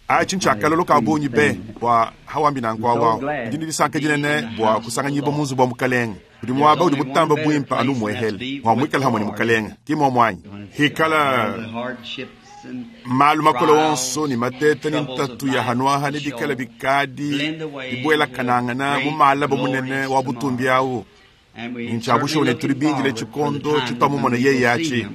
Atshi ntshiakalolo ka bungi be bua hawambi nanku awu. Ndi ne disanka dinene bua kusanganyibua mu nzubu wa Mukalenge. Udi muaba udi mutamba buimpe anu umuehele mua muikale hamue ne Mukalenge, ki muomu anyi? Hikala malu makole onso ne mateta ne ntatu ya hanuaha ne bikala bikadi bibuelakanangana mu malaba munene wa butumbi awu, Ntshia bushuwa ne tudi bindile tshikondo tshituamumona yeye atshi.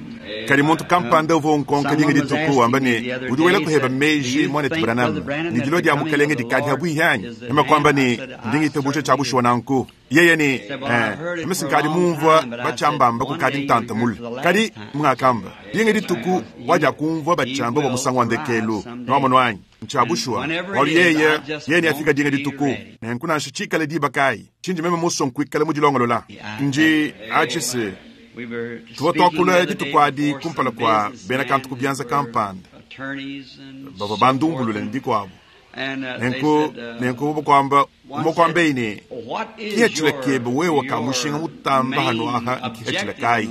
Kadi muntu kampanda uvua unkonka dinga dituku wamba ne, Udi wela kuheba meji, muanetu Branham, ne dilua dia Mukalenge dikadi habuihi anyi? Meme kuamba ne, Ndi ngitabuja tshia bushuwa nanku. Yeye ne, Ee, meme si nkadi mumvua batshiambamba kukadi ntanta mule. Kadi, ngakamba, dinga dituku wadiakumvua batshiamba bua musangu wa ndekelu. Nuamonu anyi? Ntshia bushuwa, bualu yeye, yeye neafika dinga dituku. Nenku nansha tshikale diba kayi, tshindi meme musue nkuikala mudilongolola. Ndi atshi se, tuvua tuakula dituku adi kumpala kua bena kantu ku bianza kampanda bavua bandumbulule ne bikuabu. Nenku, nenku bobo kuamba, umue kuambeyi ne, Kihethila kebe wewe ka mushinga mutamba hanuaha nkihethila kayi?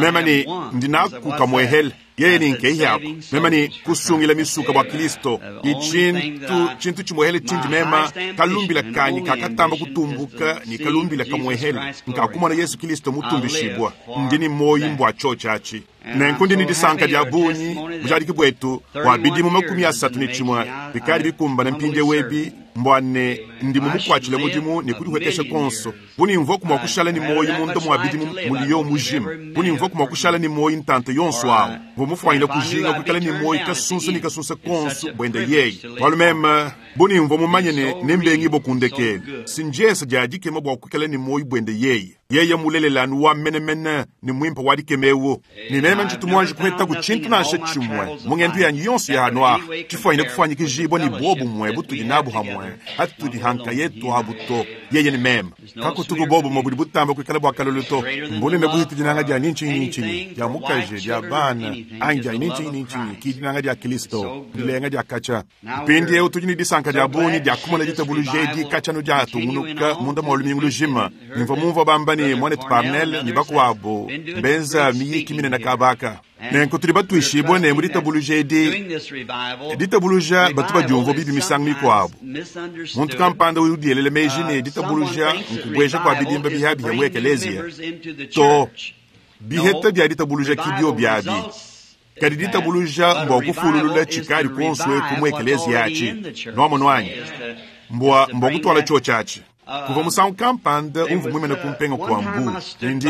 Meme ne, Ndi naku kamuehele. Yeye ne nkehi aku. Meme ne kusungila misuka bua Kilisto ne tshintu, tshintu tshimuehele tshindi mema kalumbila kanyi kakatamba kutumbuka ne kalumbila kamuehele nkakumona Yesu Kilisto mutumbishibua. Ndi ne muoyi mbua tshiotshi atshi. Nenku ndi ne disanka dia bungi bujadiki buetu bua bidimu 31 bikadi bikumbana mpindieu ebi mbua ne ndi mumukuatshile mudimu ne kudihuekesha kuonso. Bu ne mvuaku mua kushala ne muoyo munda mua bidimu muliyo mujima, bu ne mvuaku mua kushala ne muoyo ntanta yonso awu, mvua mufuanyine kujinga kuikala ne muoyo kasunsa ne kasunsa konso buende yeye, bualu meme, bu ne mvua mumanye ne nembengibue ku ndekelu, si ndiensa dia dikema bua kuikala ne muoyo buende yeye. Yeye mmulelela anu wa menemene ne muimpe wa dikema eu, ne meme ntshitu muanji kuhetaku tshintu nansha tshimue mu ngendu yanyi yonso ya hanu aha tshifuanyine kufuanyikijibua ne buobumue butudi nabu hamue hatudi ha nkayetu abu to, yeye ne meme. Kakutuku buobumue budi butamba kuikala bua kalolo to. Mbunene buhite dinanga dia ni ntshinyi ni ntshinyi, dia mukaji, dia bana, anyi dia ni ntshinyi ni ntshinyi, ki dinanga dia Kilisto dilenga dia katshia. Mpindieu tudi ne disanka dia bungi dia kumona ditabuluja edi katshia anu diatungunuka munda mua lumingu lujima. Ne mvua mumvua bamba ne, muanetu Parnell ne bakuabu mbenza miyiki minene kaba aka. Nenku tudi batuishibue ne, mu ditabuluja edi, ditabuluja batu badiumvua bibi misangu mikuabu. Muntu kampanda udi udielela meji ne, ditabuluja nkubueja kua bidimba bihiabihia mu ekeleziya. To, biheta bia ditabuluja ki biobi abi. Kadi ditabuluja mbua kufululula tshikadi kuonso eku mu ekeleziya atshi. Nuamonu anyi? Mbua, mbua kutuala tshiotshi atshi. Kuvua musangu kampanda umvua muimane ku mpenga kua mbu, ne ndi,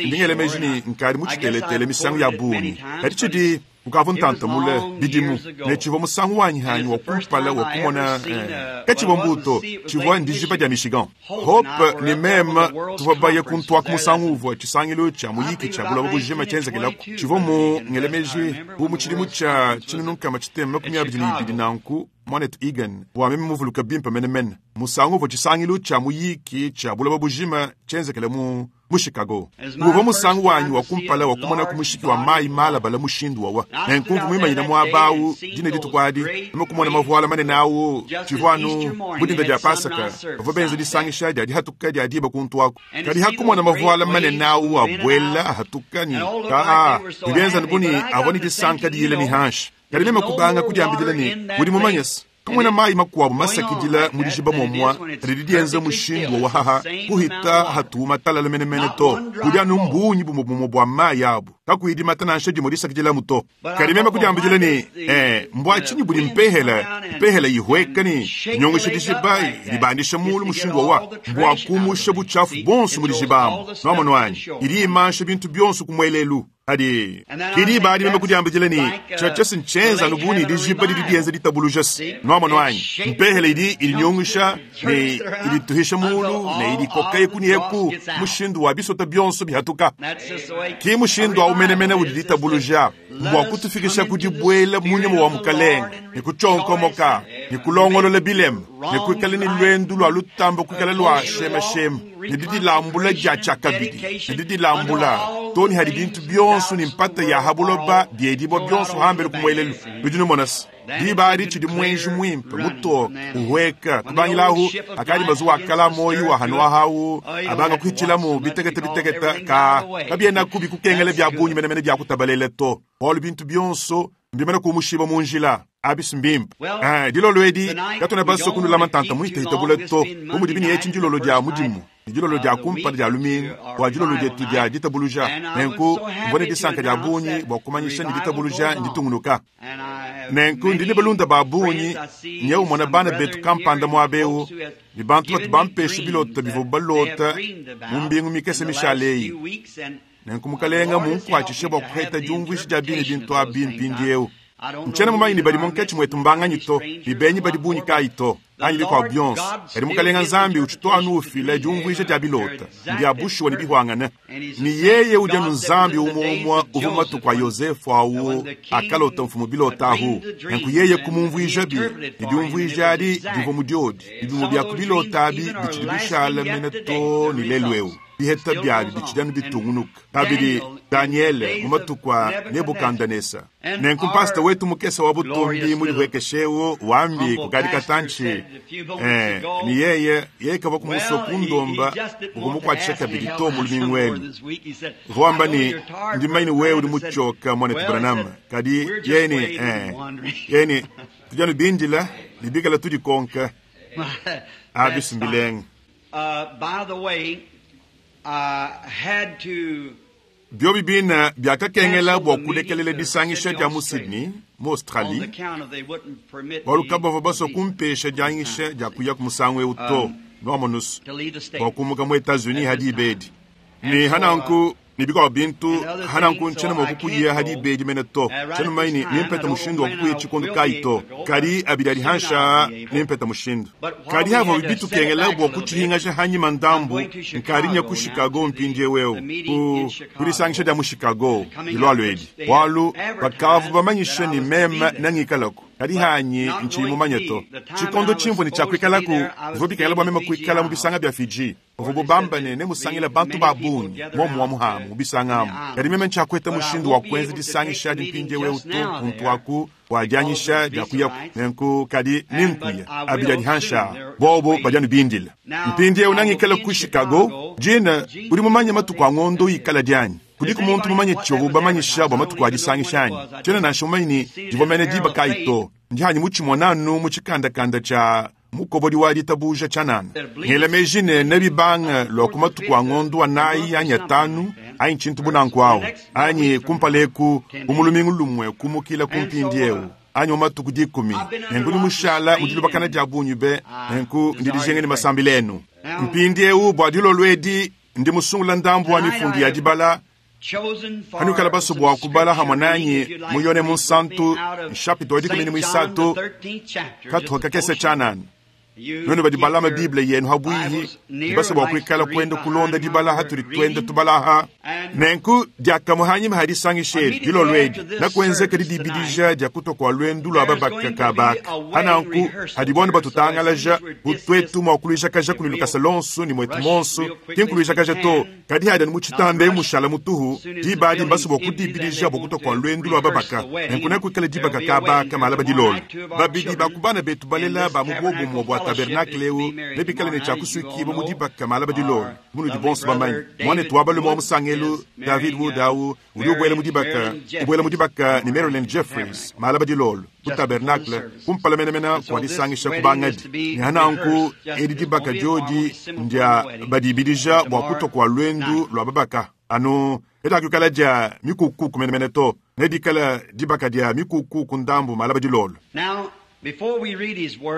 ndi ngela meji ne nkadi mutshiteletele misangu ya bungi. Kadi tshidi, ukavua ntanta mule, bidimu, ne tshivua musangu wanyi hanyi wa kumpala wa kumona, eh, katshivua mbu to, tshivua ndijiba dia Michigan. Hope ne meme tuvua baye kuntuaku musangu uvua tshisangilu tshia muyiki tshia buloba bujima tshienzekelaku. Tshivua mu ngele meji bu mu tshidimu tshia 1922 nanku, muanetu Egan, bua meme muvuluke bimpe menemene, musangu uvua tshisangilu tshia muyiki tshia buloba bujima tshienzekele mu mu Chicago. Uvua musangu wanyi wa kumpala wa kumonaku mushiki wa mayi malabala mushindu wawa. Nenku mvua muimanyine muaba au dine dituku adi, meme kumona mavuala manene au. Tshivua anu bu dinda dia Pasaka, bavua benza disangisha dia dihatuka dia diba kuntu aku. Kadi ha kumona mavuala manene au abuela ahatuka ne kaa, bibenza anu bu ne avua ne disanka diyila ne hanshi. Kadi meme kubanga kudiambidila ne, Udi mumanye se, kamuena mayi makuabu masakidila mu dijiba muomua didi dienza mushindu wa wahaha kuhita hatu matalala menemene to. Kudi anu mbungi bumue bumue bua mayi abu, kakuyi dimata nansha dimue disakidilamu to. Kadi meme kudiambidila ne, Eh, mbua tshinyi budi mpehela, mpehela ihueka ne inyongesha dijiba, idibandisha mulu mushindu wawa? Mbua kumusha butshiafu buonso mu dijiba amu. Nuamonu anyi? Idi imansha bintu bionso ku muelelu. Kadi ke diba adi meme kudiambidila ne, Tshiatshia ntshienza anu bu ne dijiba didi dienza ditabuluja se, nuamonu anyi? Mpehele idi idinyungusha ne idituhisha mulu ne idikoka eku ne eku mushindu wa bisota bionso bihatuka. Ke mushindu au menemene udi ditabuluja mbua kutufikisha ku dibuela mu nyuma wa Mukalenge ne kutshionkomoka ne kulongolola bilema ne kuikala ne luendu lua lutamba kuikala lua shemashema ne didilambula dia tshiakabidi ne didilambula to ne hadi bintu bionso ne mpata ya ha buloba biedibua bionso hambelu ku muelelu. Nudi numona se, diba adi tshidi muenji muimpe mutoke uhueka. Kubangila ahu akadi mazuwa akala muoyo wa hanuaha au abanga kuhitshilamu bitekete bitekete, ka kabienaku bikukengela bia bungi menemene bia kutabalela to, bualu bintu bionso mbimane kumushiba mu njila. Abi si mbimpe. Ee, dilolo edi katuena basue kunulama ntanta muhitahita bule to, bu mudibi ne etshi ndilolo dia mudimu ne dilolo dia kumpala dia lumingu bua dilolo dietu dia ditabuluja. Nenku mvua ne disanka dia bungi bua kumanyisha ne ditabuluja nditungunuka. Nenku ndi ne balunda ba bungi, nyewu mmona bana betu kampanda muaba eu, ne bantu batu bampesha bilota bivuabu balota mu mbingu mikese mishale eyi. Nenku Mukalenga mmunkuatshishe bua kupeta diumvuija dia bine bintu abi mpindieu. Ntshiena mumanye ne badi munkatshi muetu mbanganyi to, ne benyi badi bungi kayi to, anyi bikuabu bionso. Kadi Mukalenga Nzambi utshitu anu ufila diumvuija dia bilota, mbia bushuwa ne bihuangane. Ne yeye udi anu Nzambi umue umue uvua mu matuku a Yosefu au akalota mfumu bilota ahu. Nenku yeye kumumvuijabi, ne diumvuija adi divua mu diodi, ne bimue bia ku bilota abi bitshidi bishala mene too ne lelu'eu. Biheta biabi bitshidi anu bitungunuka. Kabidi, Danyele mu matuku a Nebukandanesa. Nenku mpasita wetu mukese wa butumbi mudihuekeshe eu wambi kukadi katantshi, ee, ne yeye, yeye kavua kumusua kundomba bua kumukuatshisha kabidi to mu lumingu elu. Uvua wamba ne, Ndi mumanye ne wewe udi mutshioka, muanetu Branham, kadi yeye ne, ee, yeye ne, tudi anu bindila ne bikala tudikonka. Abi si mbilenga. Biobi bine biakakengela bua kulekelela disangisha dia mu Sydney, mu Australie, bualu kabavua basue kumpesha dianyisha dia kuyaku musangu eu to, nuamonu's, bua kumuka mu Etats-Unis ha diba edi. Ne ha nanku, ne bikuabu bintu, ha nanku ntshiena mua kukuya ha diba edi mene to. Tshiena mumanye ne nempete mushindu wa kukuya tshikondo kayi to, kadi abidi adi hanshi aa nempete mushindu. Kadi havuabi bitukengela bua kutshihingaja hanyima ndambu, nkadi nya ku Chicago mpindieu eu, ku, ku disangisha dia mu Chicago dilualua edi, bualu bakavua bamanyishe ne meme nengikalaku, kadi hanyi ntshiyi mumanye to. Tshikondo tshimvua ne tshia kuikalaku, bivua bikengela bua meme kuikala mu bisanga bia Fiji. Pavuabu bamba ne, nemusangile bantu ba bungi muomu amu mu bisanga amu, kadi meme ntshiakueta mushindu wa kuenza disangisha adi mpindieu eu to, kuntu aku bua dianyisha dia kuyaku. Nenku, kadi nenkuye abidi adi hanshi aa, bobo badi anu bindila. Mpindieu nengikale ku Chicago. Gene, udi mumanye matuku a ngondo ikala dianyi? Kudiku muntu mumanye tshivuabu bamanyisha bua matuku a disangisha anyi? Tshiena nansha mumanye ne divua mene diba kayi to. Ndi hanyi mutshimone anu mu tshikandakanda tshia mukobodi wa ditabuja tshianana. Ngela meji ne nebibange lua ku matuku a ngondo anayi anyi atanu anyi tshintu bu nanku au, anyi kumpala eku bu mu lumingu lumue kumukila ku mpindieu anyi mu matuku dikumi. Nenku ndi mushala mu dilubakana dia bungi be, nenku ndi dijinga ne masambila enu. Mpindieu bua dilolo edi ndi musungula ndambu wa mifundu ya dibala. Hanuikala basue bua kubala hamue nanyi mu Yone Munsantu nshapita wa dikumi ne muisatu katuha kakese tshianana. Nuenu badi balama Bible yenu ha buihi ne basue bua kuikala kuenda kulonda dibala hatudi tuenda tubala aha. Nenku diakamue hanyima ha disangisha edi dilolo edi nakuenzeka didibidija dia kutua kua luendu lua babaka kabaka. Ha nanku hadibo anu batutangalaja bu tuetu mua kuluijakaja kudi lukasa luonso ne muetu muonso, ki nkuluijakaja to, Kadi hadi anu mu tshitanda emu mushala mutuhu, diba adi mbasue bua kudibidija bua kutua kua luendu lua babaka. Nenku nekuikale dibaka kaba ka malaba dilolo. Babidi ba ku bana betu balela ba mu buobumue bua tabernakle eu nebikale ne tshia kusuikibua mu dibaka malaba dilolo, bu munudi bonso bamanye. Muanetu wa balume wa musangelu, David Wood au, udi ubuela mu dibaka, ubuela mu dibaka ne Marilyn Jeffries malaba dilolo ku tabernakle kumpala menemene kua disangisha kubangadi. Ne nanku edi dibaka diodi ndia badibidija bua kutua kua luendu lua babaka anu kadiakuikala dia mikukuku menemene to, nedikale dibaka dia mikukuku ndambu malaba dilolo.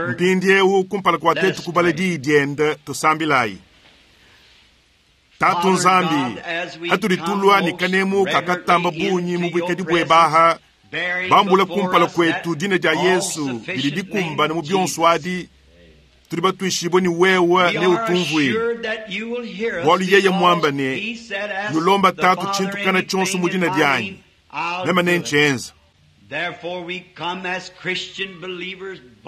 Mpindieu kumpala kua tuetu kubala diyi diende, tusambilayi. Tatu Nzambi, hatudi tulua ne kanemu kakatamba bungi mu buikadi bueba aha, bambula kumpala kuetu dina dia Yesu didi dikumbana mu bionso adi, tudi batuishibue ne wewe neutumvuile, bualu yeye muamba ne, Nulomba Tatu tshintu kana tshionso mu dina dianyi, meme nentshienza.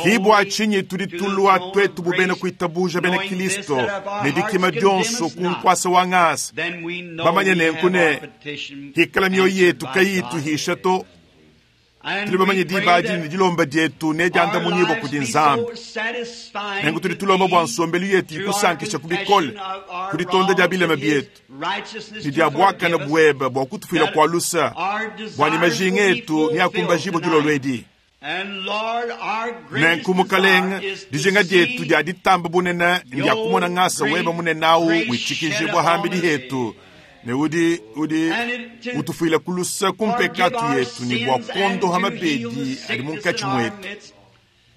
Ki bua tshinyi tudi tulua tuetu bu bena kuitabuja bena Kilisto ne dikima dionso ku nkuasa wa ngasa, bamanye nenku ne, hikala mioyo yetu kayiyi ituhisha to, tudi bamanye diba adi ne dilomba dietu nediandamunyibua kudi Nzambi. Nenku tudi tulomba bua nsombelu yetu ikusankisha ku bikole ku ditonda dia bilema bietu ne dia buakane buebe bua kutufuila kua lusa, bua ne majinga etu neakumbajibue dilolo edi. Nenku Mukalenge, dijinga dietu dia ditamba bunene ndia kumona ngasa webe munene awu witshikijibua hambidi hetu, ne udi udi utufuila ku luse ku mpekatu yetu ne bua kuondoha mabedi adi munkatshi muetu.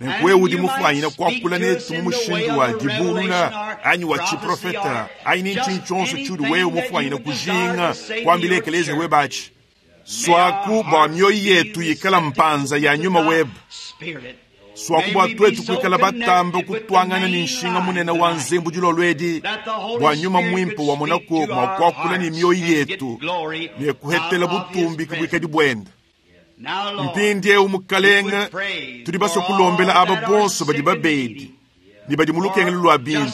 Nenku wewe udi mufuanyine kuakula netu mu mushindu wa dibulula anyi wa tshiprofeta anyi ni ntshinyi tshionso tshiudi wewe mufuanyine kujinga kuambila ekeleziya webe atshi. Suaku bua mioyo yetu yikala mpanza ya nyuma webe. Suaku bua tuetu kuikala batambe kutuangana ne nshinga munene wa nzembu dilolo edi, bua nyuma muimpe wamonaku mua kuakula ne mioyo yetu ne kuhetela butumbi ku buikadi buende. Mpindieu, Mukalenge, tudi basue kulombela aba bonso badi babedi ne badi mu lukengelu lua bintu,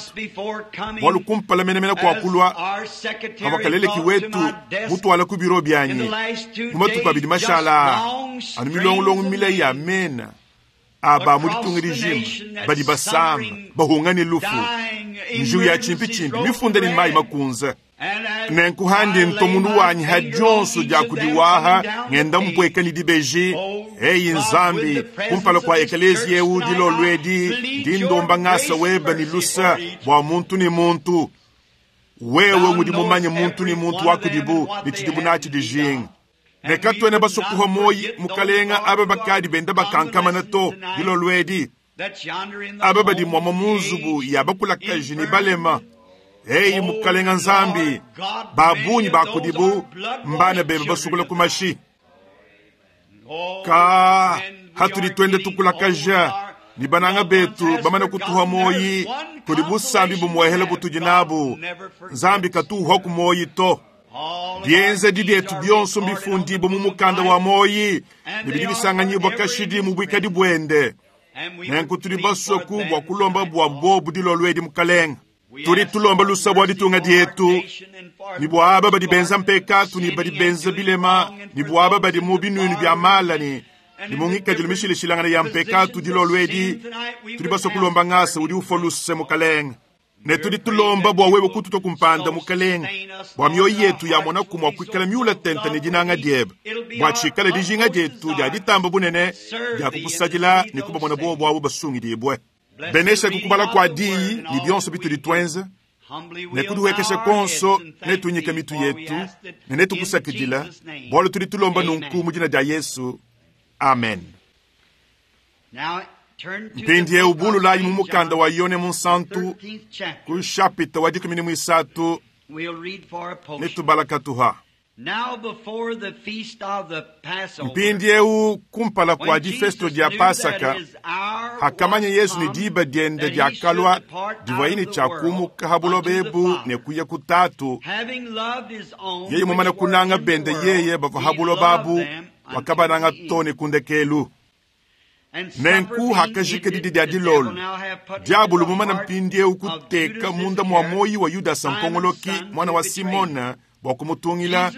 bualu kumpala menemene kua kulua pavua kaleleki wetu mutuala ku biro bianyi mu matuku abidi mashala aa, anu milongolongo mile ya mena a ba mu ditunga dijima badi basama, bahunga ne lufu, njiwu ya tshimpitshimpi mifunda ne mayi makunze. Nenku handi ntomunu wanyi ha dionso dia kudiwaha ngenda mpueka ne dibeji. Eyi Nzambi, kumpala kua ekeleziya eu dilolo edi, ndi ndomba ngasa webe ne lusa bua muntu ne muntu. Wewe ngudi mumanye muntu ne muntu wa kudibu ne tshidibu natshi dijinga. Ne katuena basue kuhua muoyi, Mukalenga, aba bakadi benda bakankamana to dilolo edi, aba badi muamua mu nzubu ya bakulakaji ne balema. Eyi Mukalenga Nzambi, ba bungi ba kudibu mbana bebe basukula ku mashi. Ka hatudi tuenda tukulakaja ne bananga betu bamana kutuha muoyi, kudi busambi bumuehela butudi nabu. Nzambi katuhua ku muoyi to. Bienzedi bietu bionso mbifundibue mu mukanda wa muoyi ne bidi bisanganyibua kashidi mu buikadi buende. Nenku tudi basue ku bua kulomba bua bobu dilolo edi, Mukalenga. Tudi tulomba lusa bua ditunga dietu ne bua aba badi benza mpekatu ne badi benza bilema ne bua aba badi mu binuinu bia mala ne ne mu ngikadilu mishilashilangane ya mpekatu dilolo edi. Tudi basue kulomba ngasa udi ufua luse, Mukalenge. Ne tudi tulomba bua wewe kututua ku mpanda, Mukalenge, bua mioyo yetu yamonaku mua kuikala miula tente ne dinanga diebe, bua tshikale dijinga dietu dia ditamba bunene dia kukusadila ne kubamona bobu abo basungidibue. Benesha kukubala kua diyi ne bionso bitudi tuenza, ne kudihuekesha kuonso netunyike mitu yetu ne netukusakidila, bualu tudi tulomba nunku mu dina dia Yesu. Amen. Mpindieu bululayi mu mukanda wa Yone Munsantu ku shapita wa dikumi ne muisatu netubala katuha. Mpindieu kumpala kua difesto dia Pasaka, hakamanya Yesu ne diba diende diakalua divuaye ne tshia kumuka ha buloba ebu ne kuya ku Tatu, yeye mumane kunanga bende yeye bavua ha buloba abu, wakabananga too ne ku ndekelu. Nenku hakajika didi dia dilolo, diabolo mumane mpindieu kuteka munda mua muoyi wa Yudasa mpongoloki muana wa Simona bua kumutungila.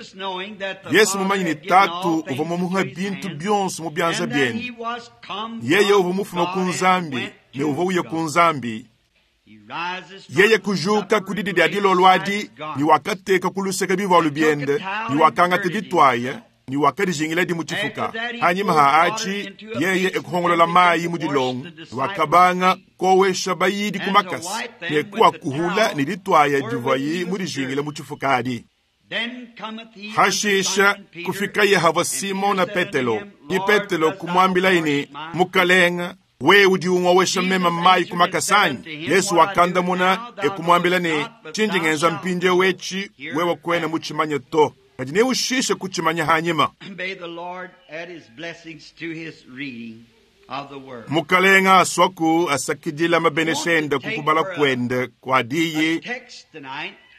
Yesu mumanye ne Tatu uvua mumuhe bintu bionso mu bianza biende, yeye uvua mufume ku Nzambi ne uvua uya ku Nzambi. Yeye kujuka ku didi dia dilolo adi ne wakateka ku luseke bivualu biende ne wakangata dituaya ne wakadijingiladi mu tshifuka. Hanyima ha atshi yeye ekuhongolola mayi mu dilongo ne wakabanga kowesha bayidi ku makasa ne kuakuhula ne dituaya divuaye mudijingile mu tshifuka adi. Hashisha kufikaye havua Simona Petelo, ne Petelo kumuambilaye ne, Mukalenga, wewe udi ungowesha meme mayi ku makasa anyi? Yesu wakandamuna e kumuambila ne, Tshindi ngenza mpindieu etshi wewe kuena mutshimanye to, kadi neushishe kutshimanya hanyima. Mukalenga asuaku asakidila mabenesha ende ku kubala kuende kua diyi.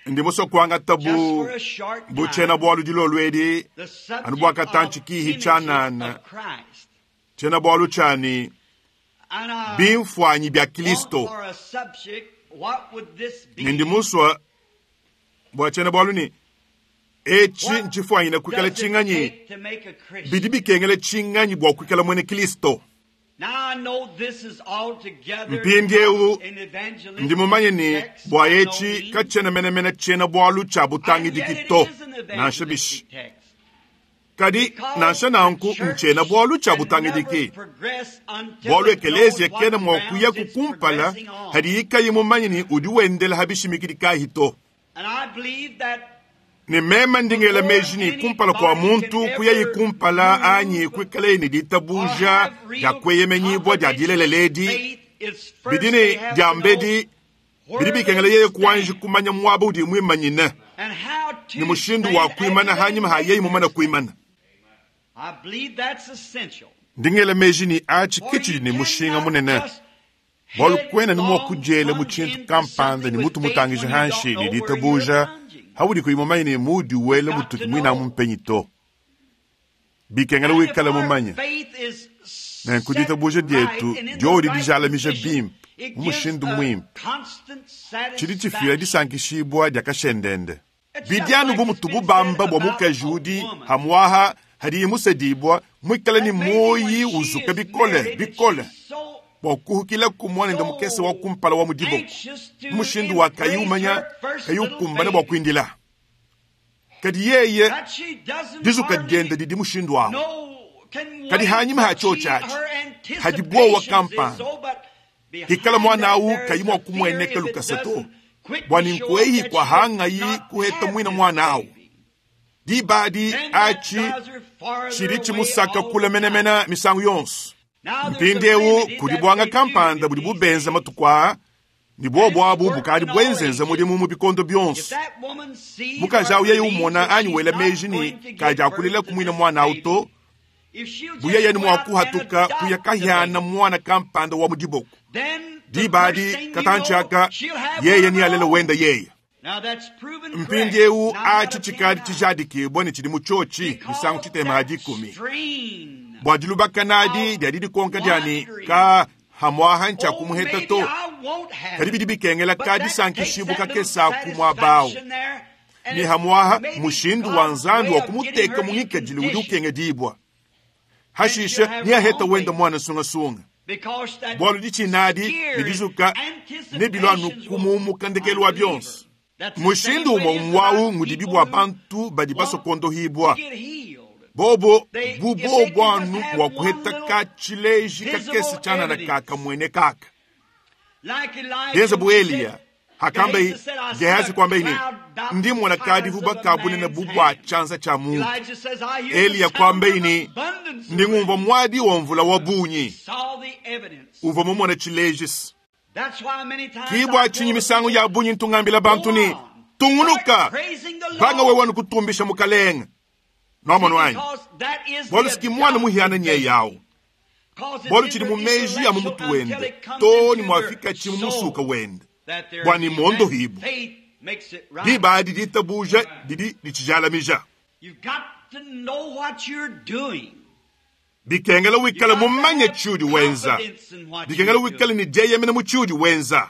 Ndi musue kuangata bu bu tshiena-bualu dilolo edi anu bua katantshi kihi tshianana, tshiena-bualu tshia ne, Bimfuanyi bia Kilisto. Ne ndi musue bua tshiena-bualu ne, Etshi ntshifuanyine kuikala tshinganyi? Bidi bikengela tshinganyi bua kuikala muena Kilisto? Mpindieu ndi mumanye ne, bua etshi katshiena menemene tshiena-bualu tshia butangidiki to, nansha bishi. Kadi nansha nanku ntshiena-bualu tshia butangidiki, bualu ekeleziya kena mua kuyaku kumpala hadiyi kayi mumanye ne udi wendela ha bishimikidi kayi to. Ne meme ndi ngela meji ne kumpala kua muntu kuyayi kumpala anyi kuikalaye ne ditabuja dia kueyemenyibua dia dilelela edi, bidi ne diambedi bidi bikengela yeye kuanji kumanya muaba udi muimanyine ne mushindu wa kuimana hanyima ha yeye mumane kuimana. Ndi ngela meji ne atshi ke tshidi ne mushinga munene, bualu kuena ne mua kudiela mu tshintu kampanda ne mutu mutangija hanshi ne ditabuja haudi kuyi mumanye ne muudi wela mutuki muinamu mpenyi to. Bikengela wikale mumanye. Nenku ditabuja dietu diodi dijalamija bimpe mu mushindu muimpe, tshidi tshifila disankishibua dia kashendende. Bidi anu bu mutubu bamba bua mukaji udi hamuaha hadiye musedibua muikale ne muoyi uzuka bikole bikole bua kuhukilaku muanende mukese wa kumpala wa mu diboko mu mushindu wa kayi umanya kayi ukumbana bua kuindila. Kadi yeye dizuka diende didi mushindu awu. Kadi hanyima ha tshiotshi atshi hadi buowa kampanda hikala muana awu kayi mua kumueneka lukasa to, bua ninkueyi kua hangayi kuheta muina muana awu. Diba adi atshi tshidi tshimusaka kule menemene misangu yonso. Mpindieu kudi buanga kampanda budi bubenza matuku aa, ne buobu abu bukadi buenzenza mudimu mu bikondo bionso. Mukaji awu yeye umona anyi wela meji ne kadiakulela ku muina muana awu to, bu yeye ne mua kuhatuka kuya kahiana muana kampanda wa mu diboko. Diba adi katantshi aka yeye nealele wenda yeye. Mpindieu atshi tshikadi tshijadikibua ne tshidi mu tshiotshi misangu tshitema ha dikumi. Bua dilubakana adi dia didikonka dia ne ka hamuaha ntshia kumuheta to, kadi bidi bikengela ka disankishibua kakese ku muaba awu. Ne hamuaha mushindu wa Nzambi wa kumuteka mu ngikadilu udi ukengedibua. Hashishe neaheta wenda muana sungasunga. Bualu ditshina adi ne dizuka nebilua anu kumumuka ndekelu wa bionso. Mushindu umue umue ngudibi bua bantu badi basua kuondohibua. Bobo bu bobo anu mua kuheta ka tshileji kakese tshianana ka kamuene kaka. Bienza bu Eliya hakamba Gehazi kuamba ne, ndi mmona kadivuba ka bunene bu bua tshianza tshia muntu. Eliya kuamba ne, ndi ngumvua muadi wa mvula wa bungi. Uvua mumone tshileji. Ki bua tshinyi misangu ya bungi ntu ngambila bantu ne, tungunuka, banga wewe anu kutumbisha Mukalenge. Nwamonu anyi? Bualu siki muana muhiana nye yawu. Bualu tshidi mu meji ya mu mutu wende to ne muafika tshi mu musuka wende bua ne muondohibu. Diba adi ditabuja didi ditshijalamija. Bikengela wikale mumanye tshiudi wenza. Bikengela wikale ne dieyemena mu tshiudi wenza.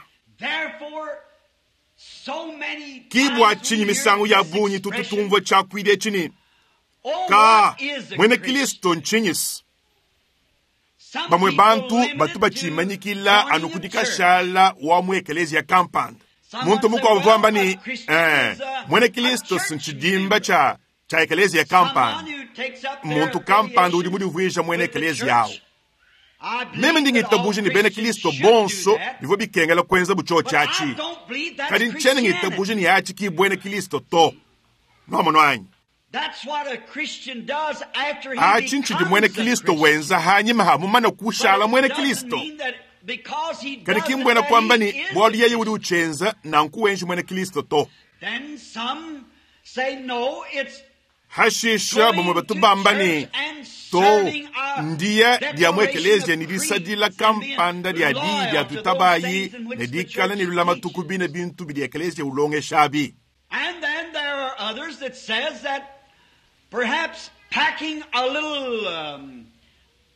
Ki bua tshinyi misangu ya bungi tutu tumvua tshiakuidi etshi ne, ka muena Kristo ntshinyisi. Bamue bantu batu batshimanyikila anu ku dikashala wa mu ekeleziya kampanda. Muntu mukuabu uvua wamba ne, muena Kristo ntshidimba tshia tshia ekeleziya kampanda. Muntu kampanda udi mudivuija muena ekeleziya awu. Meme ndi ngitabuja ne bena Kristo bonso bivua bikengela kuenza bu tshiotshi atshi. Kadi ntshiena ngitabuja ne atshi ki buena Kristo to. Nwamonu anyi? Atshi ntshidi muena Kristo wenza hanyima ha mumane kushala muena Kristo. Kadi ki mbuena kuamba ne bualu yeye udi utshienza nanku wenji muena Kristo to. Hashisha bamue batu bamba ne, to ndiya dia mu ekeleziya ne disadila kampanda dia diyi dia tutabayi ne dikala ne lulamatu ku bine bintu bidi ekeleziya ulongeshabi. And then there are others that says that perhaps packing a little,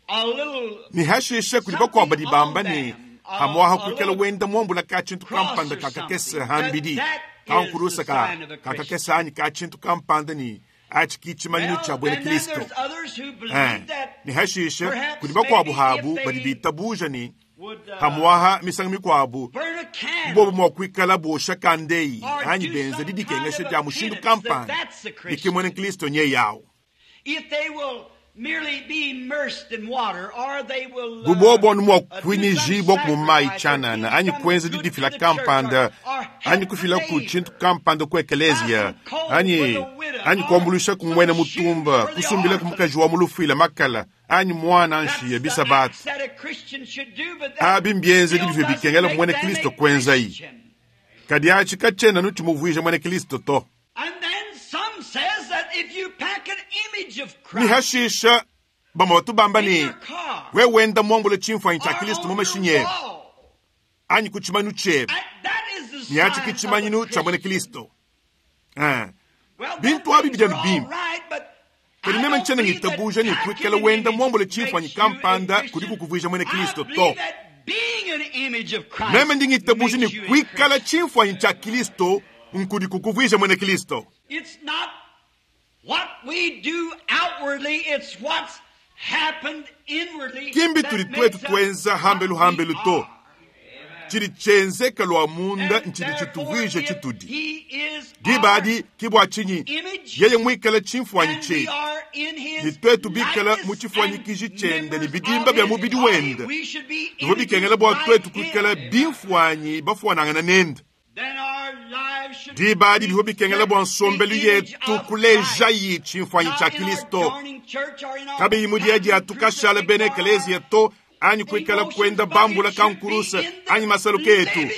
a little Ne hashisha kudi bakuabu badi bamba ne, hamuaha kuikala wenda muambula ka tshintu kampanda kakakese hambidi, kankulusa ka kakakese anyi ka tshintu kampanda ne atshi ki tshimanyinu tshia buena and then Kristo. there's others who believe that Ne hashisha perhaps kudi bakuabu maybe habu if badi they bitabuja ne would, hamuaha misangu mikuabu burn a candle bobo mua kuikala bosha kandeyi or anyi do benza some didikengesha kind of dia a mushindu penance that kampanda that's the ne ki muena Christian. Kristo nye yawu. Bubobo anu mua kuinyijibua ku mayi tshianana anyi kuenza didifila kampanda anyi kufila ku tshintu kampanda ku ekeleziya anyi anyi kuambuluisha ku muena mutumba, kusumbila ku mukaji wa mu lufuila makala anyi muana nshiya bisabata. Abi mbienzedi bivua bikengela muena Kristo kuenzayi, kadi atshi katshiena anu tshimuvuija muena Kristo to. Ne hashisha bamue batu bamba ne, wewe wenda muambule tshimfuanyi tshia Kristo mu mashinyi ebe anyi ku tshimanu tshiebe, ne atshi ke tshimanyinu tshia muena Kristo. Bintu abi bidi anu bimpe, kadi meme ntshiena ngitabuja ne kuikala wenda muambule tshimfuanyi kampanda kudi kukuvuija muena Kristo to. Meme ndi ngitabuja ne kuikala tshimfuanyi tshia Kristo nkudi kukuvuija muena Kristo. Ki mbitudi tuetu tuenza hambelu hambelu to. Tshidi tshienzeka lua munda ntshidi tshituvuija tshitudi. Diba adi ke bua tshinyi yeye muikale tshimfuanyi tshietu, ne tuetu bikale mu tshifuanyikiji tshiende ne bidimba bia mubidi wende, bivua bikengela bua tuetu kuikala bimfuanyi bafuanangana nende. Diba adi bivua bikengela bua nsombelu yetu kulejayi tshimfuanyi tshia Kristo, kabiyi mu dia dia tukashala bena ekeleziya to, anyi kuikala kuenda bambula kankuruse anyi masaluka etu.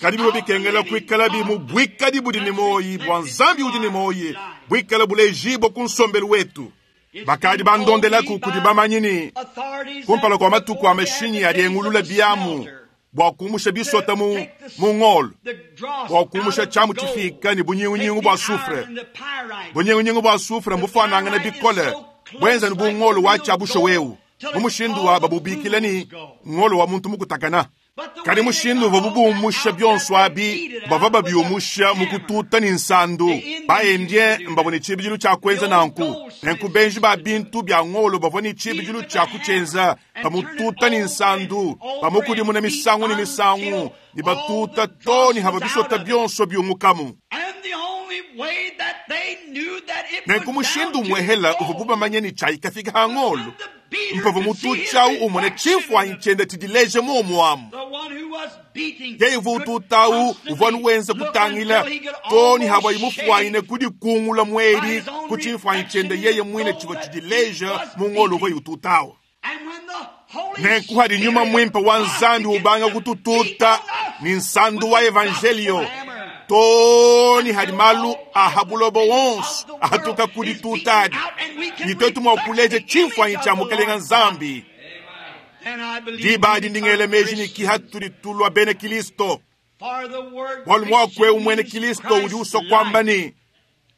Kadi bivua bikengela kuikalabi mu buikadi budi ne muoyi bua Nzambi udi ne muoyi, buikala bulejibua ku nsombelu wetu. Bakadi bandondelaku kudi bamanyi ne kumpala kua matuku a mashinyi adi engulula biamu bua kumusha bisota mu mu ngolo, bua kumusha tshiamu tshifika ne bunyingunyingu bua sufre. Bunyingunyingu bua sufre mbufuanangane bikole, buenza ne bu ngolo wa tshiabusha wewu, mu mushindu wa babubikila ne ngolo wa muntu mukutakana. Kadi mushindu uvua bubumusha bionso abi, bavua babiumusha mu kututa ne nsandu. Ba-Indien mbavua ne tshibidilu tshia kuenza nanku. Nenku benji ba bintu bia ngolo bavua ne tshibidilu tshia kutshienza bamututa ne nsandu, bamukudimuna misangu ne misangu, ne batuta too ne hava bisota bionso biumukamu. Nenku mushindu umuehela uvua bamanye ne tshiayi kafika ha ngolo, mpavua mututshiawu umone tshimfuanyi tshiende tshidileje muomu amu. Yeye uvua ututawu uvua anu wenza kutangila too ne havuaye mufuanyine kudikungula muedi ku tshimfuanyi tshiende yeye muine tshivua tshidileja mu ngolo uvuaye ututawu. Nenku hadi nyuma mwimpe wa Nzambi ubanga kutututa ni nsandu wa evangelio too ne hadi malu aha buloba wonso ahatuka kuditutadi, ne tuetu mua kuleja tshimfuanyi tshia Mukelenge Nzambi. Diba adi ndingela meji ne kiha tudi tulua bena Kristo, bualu muaku eu muena Kristo udi usua kuamba ne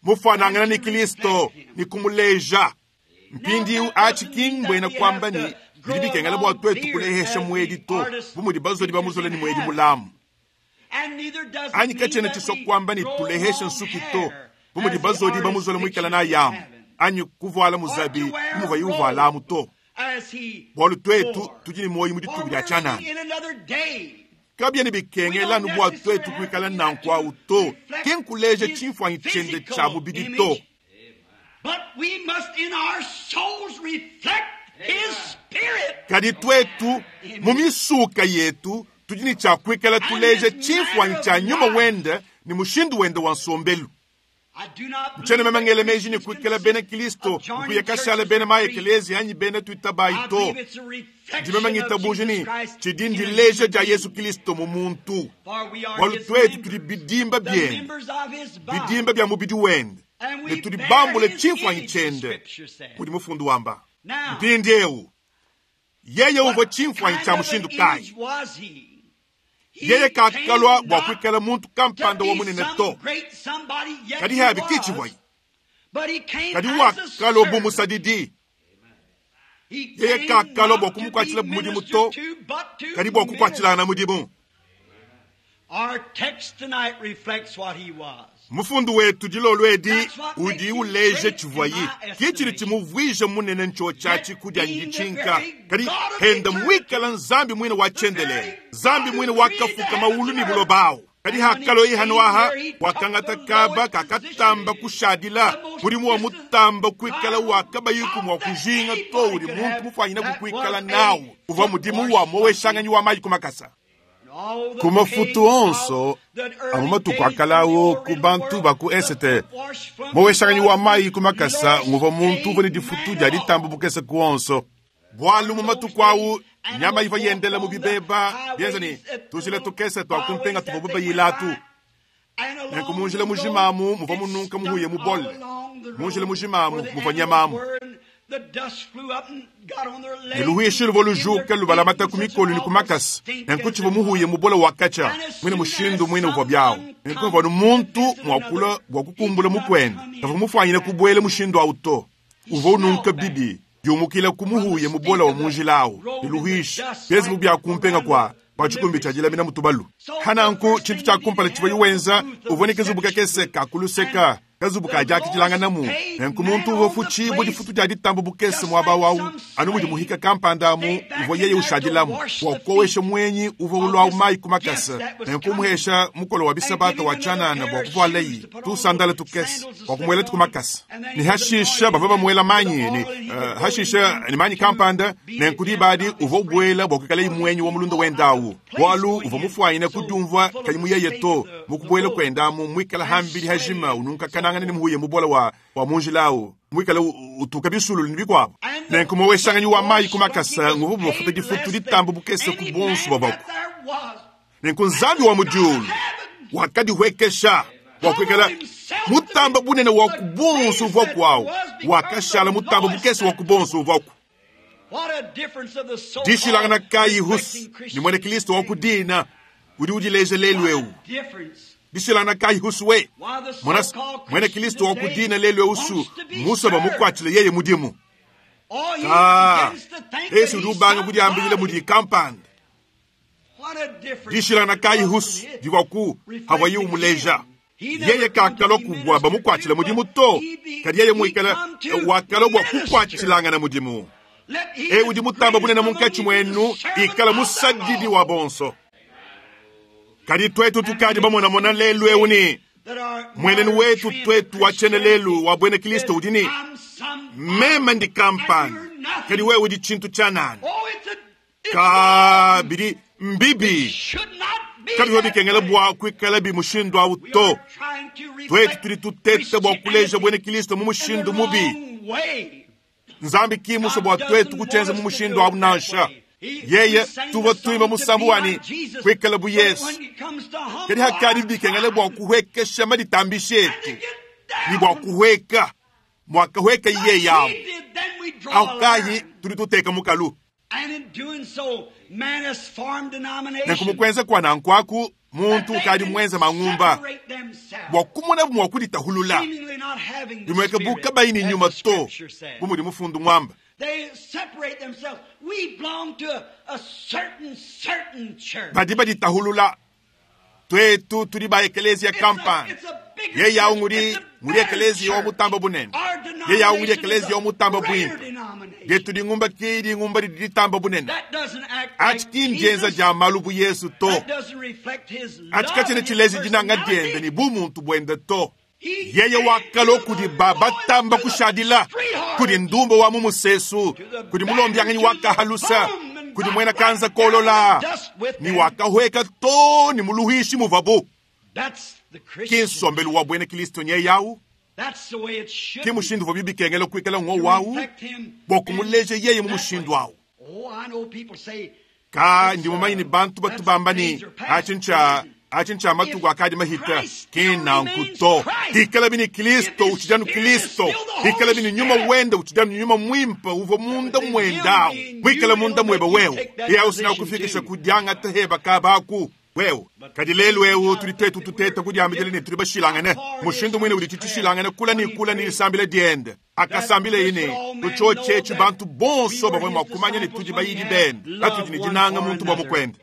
mufuanangana ne Kristo ne kumuleja. Mpindieu atshi ki mbuena kuamba ne bidi bikengela bua tuetu kulehesha muedi to, bu mudi bazodi bamuzola ne muedi mulamu. Anyi katshiena tshisua kuamba ne tulehesha nsuki to, bu mudi bazodi bamuzola muikala nayamu, anyi kuvuala muzabi bu muvuaye uvualamu to. Bualu tuetu tudi ne muoyo mu dituku dia tshianana. Kabiena bikengela anu bua tuetu kuikala nanku au to, ki nkuleja tshimfuanyi tshiende tshia mubidi to. Kadi tuetu mu misuka yetu tudi ne tshia kuikala tuleja tshimfuanyi tshia nyuma wende ne mushindu wende wa nsombelu. Ntshiena meme ngela meji ne kuikala bena Kristo nkuya kashala bena ma ekeleziya anyi bena tuitabayi to. Ndi meme ngitabuja ne tshidi ndileja dia Yesu Kristo mu muntu, bualu tuetu tudi bidimba biende, bidimba bia mubidi wende, ne tudi bambule tshimfuanyi tshiende, mudi mufundu wamba. Mpindieu yeye uvua tshimfuanyi tshia mushindu kayi? Yeye kakalua bua kuikala muntu kampanda wa munene to, kadi habi ki tshivuaye. Kadi wakalua bu musadidi. Yeye kakalua bua kumukuatshila mudimu to, kadi bua kukuatshilangana mudimu. Mufundu wetu dilolo edi udi uleja tshivuaye, ki tshidi tshimuvuija munene ntshotshatshi kudia nditshinka, kadi henda muikala Nzambi muine wa tshiendelele, Nzambi muine wakafuka maulu ne buloba awu. Kadi hakaloyi hanoaha wakangata kaba kakatamba kushadila mudimu wa mutamba kuikala wakabayiku mwa kujinga to udi muntu mufwanyina kukuikala nawu uvwa mudimu wa moweshanganyi wa mayi kumakasa. All Ku the mafutu pain onso of the amu early matuku days akalawo of the ku bantu world, ba ku the esete footwash from moweshanganyi wa the mayi kumakasa lowest nguvwa muntu uvwa ne paid difutu man dia of all. ditamba bukese kuonso. Bwalu mu matuku awu nyama ivwa yendela mu bibeba bienza ni tujila tukese twakumpenga tuvwa bubayilatu. Nenku munjila mujimamu muvwa mununka muhuye mubole. Munjila mujimamu muvwa nyamamu. Ne luhuishi luvwa lujuka lubalamata ku mikolo ni kumakasa. Nenku tshivwa muhuye mubole wakacha mwine mushindu mwine uvwa byawo. Nenku muvwa nu muntu mwakula bwa kukumbula mukwenda. Kavwa mufwanyine kubwele mushindu awu to. Uvwa ununka bibi yumukila kumuhuye mubola wa munjila awu. Ne luhuishi byezi bubyakumpenga kwa kwa chikumbi cha jilamina mutubalu. Hananku chintu cha kumpala chivwa yuwenza uvone kazubu kakese kakuluseka kazubu kajakijilanganamu. Nenku muntu uvwa fuchi bwa difutu dia ditambo bukese mwaba wawu anu mudi muhika kampanda amu uvwa yeye ushadilamu wakowesha mwenyi uvwa ulwa mayi kumakasa. Nenku umuhesha mukolo wa bisabata wa chanana bwa kuvwalayi tusandala tukese wakumwela tukumakasa. Ni hashisha bava bamuela manyi ni hashisha ni manyi kampanda nenku dibadi uvwa ubwela bwa kuikala imwenyi wa mulunda wendawu. Bwalu uvwa mufwanyine kudiumvwa kanyi muyeye to mukubwela kwendamu mwikala hambili hajima ununka kanangana ni muhuye mubola wa munjilawu mwikala utuka bisululu ni bikwabo. Nenku moweshanganyi wa mayi kumakasa nguvu bumafuta difutu ditambo bukese ku bonso bwabako. Nenku nzambi wa mudiulu wakadihwekesha wakwikala mutamba bunene wa kubonso uvwa kwawu wakashala mutamba bukese wa kubonso uvwaku. Dishilangana kayi husu ni mwene Kristo wa kudina udi udileje lelu ewu. Dishilangana kayi husu we mwana mwene Kristo wa kudina lelu ewu su musa bamukwatile yeye mudimu. Yesu udi ubanga kudiambile mudi kampanda. Dishilangana kayi husu divwaku hawayi umuleja. Yeye kakalo kubwa bamukwatile mudimu to kadi yeye mwikala wakalo bwa kukwatilangana mudimu. E udi mutamba bunene munkatshi mwenu ikala musadidi wa bonso. Kadi twetu tukadi bamonamona lelu ewu ni mwenenu wetu twetu wachene lelu wa bwene Kristo udi ni mema ndi kampani kadi wewe udi chintu cha nani kabidi mbibi kabi bikengela bwa kuikala bi mushindu awu to. Twetu tudi tuteta bwa kuleja bwene Kristo mu mushindu mubi. Nzambi kimuso bwa twetu kuchenza mu mushindu awu nansha. Yeye tuva tuimba musambu wani kuikala bu Yesu. Kadi hakadi bikengela bwa kuhwekesha maditambisha etu. Ni bwa kuhweka. Mwakahweka iye yawo. Aukayi tudi tuteka mukalu. Nenku mukwenza kwa nankwaku muntu ukadi mwenza mang'umba bwa kumona bumwa kuditahulula. Bimweka buka bayini nyuma to bumudi mufundu mwamba. Badi baditahulula twetu tudi ba ekelezia kampani. Ye yawu ngudi ngudi ekelezia wa mutamba bunene. Ye yawu ngudi ekelezia wa mutamba bwimpe. Getu dingumba ki dingumba didi ditamba bunene. Achi kinjenza ja malubu Yesu to. Achi kachine chilezi dinanga diende ni bu muntu bwende to. Yeye wakalo kudi baba tamba kushadila. Kudi ndumbo wa mumusesu. Kudi mulombianganyi wakahalusa. Kudi mwena kanza kolola. Ni wakahweka to ni muluhishi muvabu. Kinsombelu wa bwene Kristo nye yawu. Ki mushindu vwa bibikengela kuikala ngo wawu. Bwa kumuleje yeye mu mushindu wawu. Ka ndi mumanyi ni bantu batu bamba ni achincha matuku akadi mahita kinanku to. Ikala bini Kristo uchijanu Kristo. Ikala bini nyuma wenda uchijanu nyuma mwimpa uvo munda mwendawo. Mwikala munda mweba wewe. Iya usina kufikisha kudyanga teheba kabaku. Wewe kadi lelu ewu tudi tetu tuteta kudiambile ne tudi bashilangane mushindu mwine udi titishilangane kula ni kula ni lisambile diende akasambile ine tuchochechi bantu bonso bamwe mwakumanya ne tudi bayidi bende atudi ni dinanga muntu bwa mukwende.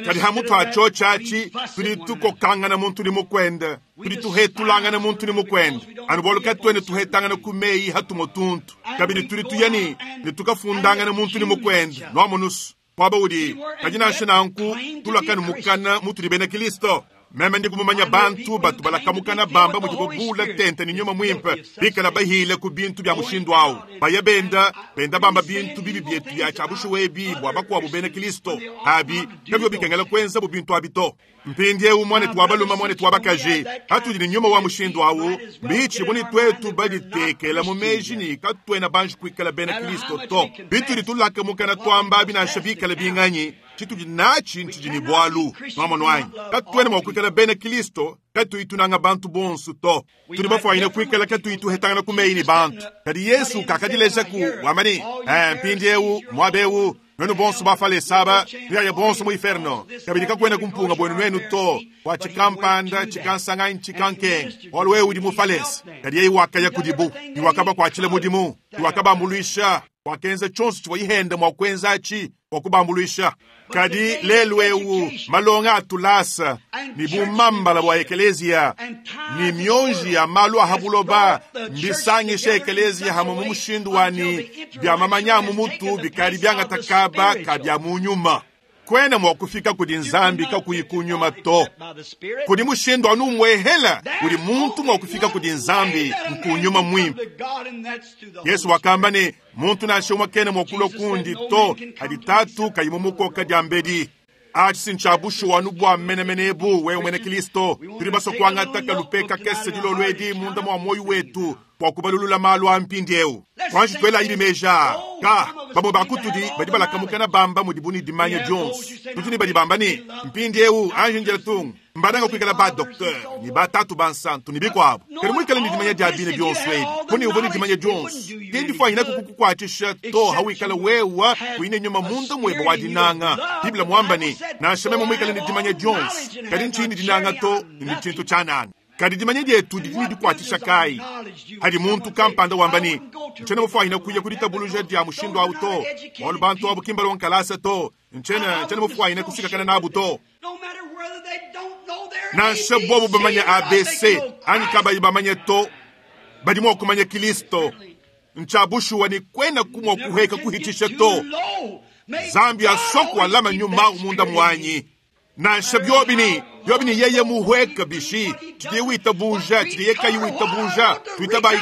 Kadi hamutu achochachi tudi tukokangana muntu ni mukwende tudi tuhetulangana muntu ni mukwende anu boluka twene tuhetangana kumeyi hatumotuntu kabidi tudi tuyani ne tukafundangana muntu ni mukwende nwamunusu. Muaba udi kadi nansha nanku tulakanu mukana mutudi bena Kristo. Meme ndi kumumanya bantu batu balakamukana bamba mudibo bula tente ne nyuma mwimpe bikala bahile ku bintu bya mushindu awu baya benda benda bamba bintu bibi byetu bya tshiabushuwa ebi bua bakuabu bena Kristo abi kabio bikengela kuenza bu bintu abi to. Mpindiewu mwanetu wa balume mwanetu wa bakaji hatudi ne nyuma wa mushindu awu mbitshi buni twetu baditekela mu meji ni katuena banji kuikala bena Kristo to. Bitudi tulakamukana twamba abi nansha bikala binganyi tshitudi natshi ntshidi ne bwalu nwamonu anyi katuena mua kuikala bena Kristo katuyi tunanga bantu bonso to. Tudi bafuanyine kuikala katuyi tuhetangana ku meyi ne bantu. Kadi Yesu kakadileja ku wamba ne mpindiewu muaba ewu nwenu bonso bafalesa nuyaya bonso mu inferno kabidi kakwena kumpunga bwenu nwenu to bua tshikampanda tshikansanga tshikankenga bualu wewe udi mufalesa. Kadi yeye wakaya kudibu ne wakabakuatshila mudimu ne wakabambuluisha wakenza tshionso tshivua ihenda mua kuenza atshi bua kubambuluisha. Kadi lelu ewu malonga atulasa ni bumambala bua ekelezia ni mionji ya malu a habuloba mbisangisha ekelezia hamwe mu mushindu wani bya mamanya mu mutu bikali byangatakaba kabya mu nyuma. Kwena mua kufika kudi nzambi kakuyi kunyuma to. Kudi mushindu anu umwehela udi muntu mua kufika kudi nzambi nkunyuma mwimpe. Yesu wakamba ne muntu nansha umwe kena mua kulua kundi to hadi tatu kayi mumukoka dia mbedi. Atshi ntshiabushuwa anu bua menemene ebu wewe mwene Kristo tudi basua kuangata kalupe kakese dilolo edi munda mua moyo wetu bua kubalulula malu a mpindiewu. Kwanji twela ili meja ka bamwe bakutudi badi balakamukana bamba mudibu ne dimanya dionso. Tudi ne badi bamba ne mpindiewu anji njela tungu mbananga kuikala ba docteur ni batatu bansantu ni bikwabo. Kadi muikale ne dimanya dia bine bionso ebi kuni uvua ne dimanya dionso kendi fwanyina kukukuatshisha to hawikala wewa kuine nyuma munda mweba wa dinanga. Biblia mwamba ne nansha meme muikale ne dimanya dionso kadi nchini dinanga to ni tshintu tshianana. Kadi dimanya dietu didi ne dikuatshisha kai hadi muntu kampanda wamba ne ntshiena mufwanyina kuya kuditabuluja dia mushindu awu to bualu bantu abu kimba lonkalasa to ntshiena mufwanyina kusikakana nabu to. Nansha bobu bamanya ABC anyi kabayi bamanye to badi mua kumanya Kristo ntshiabushuwa ni kwena kumua kuheka kuhitisha to. Zambi asoko alama nyuma munda mwanyi. Nansha byobini byobini yeye muhweka bishi tshidi witabuja tshidi yekayi witabuja twitabayi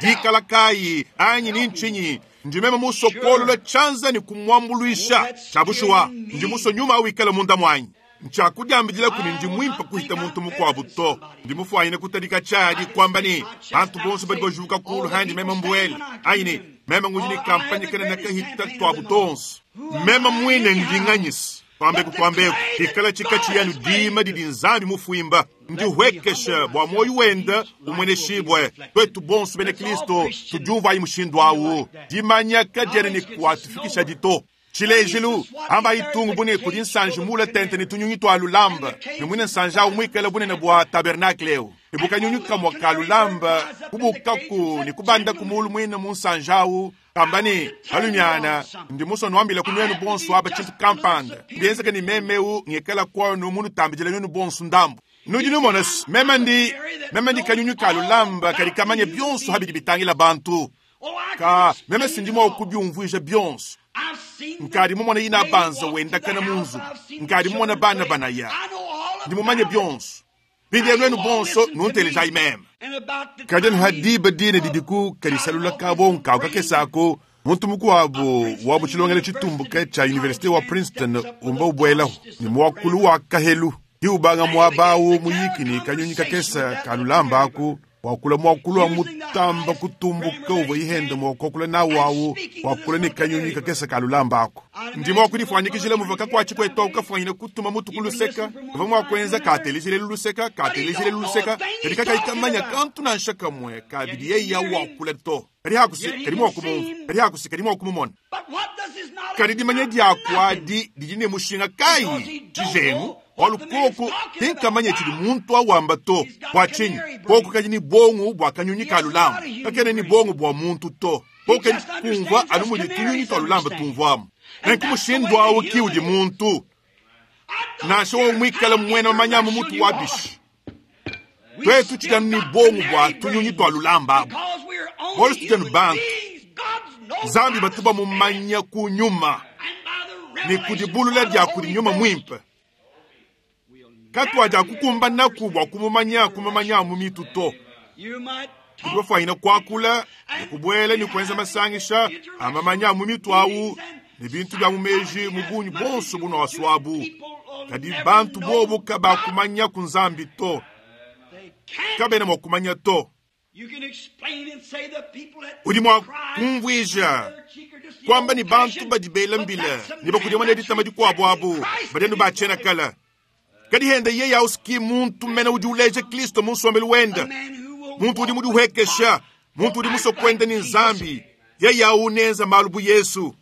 dikala kayi anyi ni nchinyi ndi meme musokolola tshianza ni kumwambuluisha tshiabushuwa ndi muso nyuma wikala munda mwanyi. Ntshiakudiambidila kuni ndi mwimpe kuhita muntu mukuabu to. Ndi mufuanyine kutadika tshiadi kwamba ni bantu bonso badi bajuka kulu handi meme mbuele anyi ni meme ngudi ni kampanye kena nakahita twabu tonso meme mwine ndinganyisa twambeku twambeku ikala tshikatshi yanu dima didi nzambi mufuimba ndi hwekesha bua moyo wenda umweneshibwe twetu bonso bena Kristo tudiumvayi mushindu awu dimanya kadiena ni kuatufikisha dito. Tshilejilu amba itungu bune kudi nsanji mula tente ni tunyunyi twa lulamba ni mwine nsanji awu mwikala bunene bua tabernacle ewu ibukanyunyi kamwa ka lulamba kubukaku ni kubanda kumulu mwine mu nsanji awu kamba ni alumiana ndi muso nwambila ku nwenu bonso aba tshintu kampanda ndienzeka ni memeu ngikala kwanu munu tambidila nwenu bonso ndambu. Nudi numona meme ndi kanyunyi ka lulamba kadi kamanya bionso habidi bitangila bantu ka meme sindi mua kubiumvuija bionso. Nkadi mumona ina banza wenda kana munzu nkadi mumona bana banaya ndi mumanye bionso bidi nwenu bonso nunteleja imeme. Kadi hadiba dine didiku kadisalula kabo nkawu kakesako muntu mukuabu wa mutshilongelo tshitumbuke tsha university wa Princeton umba ubwelaho ni mwakulu wa kahelu hiubanga mwabawu muyikini kanyunyi kakesa kalulamba aku wakula mwakulu wa mutamba kutumbuka uvua ihenda mwakokula nawu wakula ni kanyunyi kakesa kalulamba ako. Ndi mwakulifwanyikishila muva kakwatshi kwetu kafwanyina kutuma mutu kuluseka uva mwakwenza katelishile luluseka katelishile luluseka kadi kakaikamanya kantu nansha kamwe kabidi yeya wakula to. Kadi hakusi kadi mwakumumva kadi hakusi kadi mwakumumona. Kadi dimanya diakwadi didi ne mushinga kayi tshijengu bualu koko tinkamanya tshidi muntu awamba to bua tshinyi koko kadi ni bongo bua kanyunyi ka lulamba kakene ni bongo bua muntu to koko kadi kumva anu mudi tunyunyi twa lulamba tumvuamu. Nenku mushindu awu ki udi muntu nansha wa mwikala mwena manyamu mutu wa bishi twetu tshidi ni bongo bua tunyunyi twa lulamba abu bualu tutshidi bantu Nzambi batu bamumanya kunyuma. Ne ku dibulula dia kudi Nyuma Muimpe. Katuadiakukumbanaku bua kumumanya kumumanya mu mitu to. Tudi bafwanyine kuakula ne kubuela ne kuenza masangisha a mamanya a mu mitu awu ne bintu bia mu meji mu bungi buonso bunwasuabu, kadi bantu bobu kabakumanyaku Nzambi to. Kabena mua kumanya to. Udi mua kumvuija kuamba ne bantu badi bela mbila ne bakudimuna ditama dikuabu abu badi anu ba tshiena kale. Kadi hende yeye au ki muntu mene udi uleja Kristo mu nsombelu wende, muntu udi mudihuekesha, muntu udi musue kuenda ne Nzambi, yeye au nenza malu bu Yesu.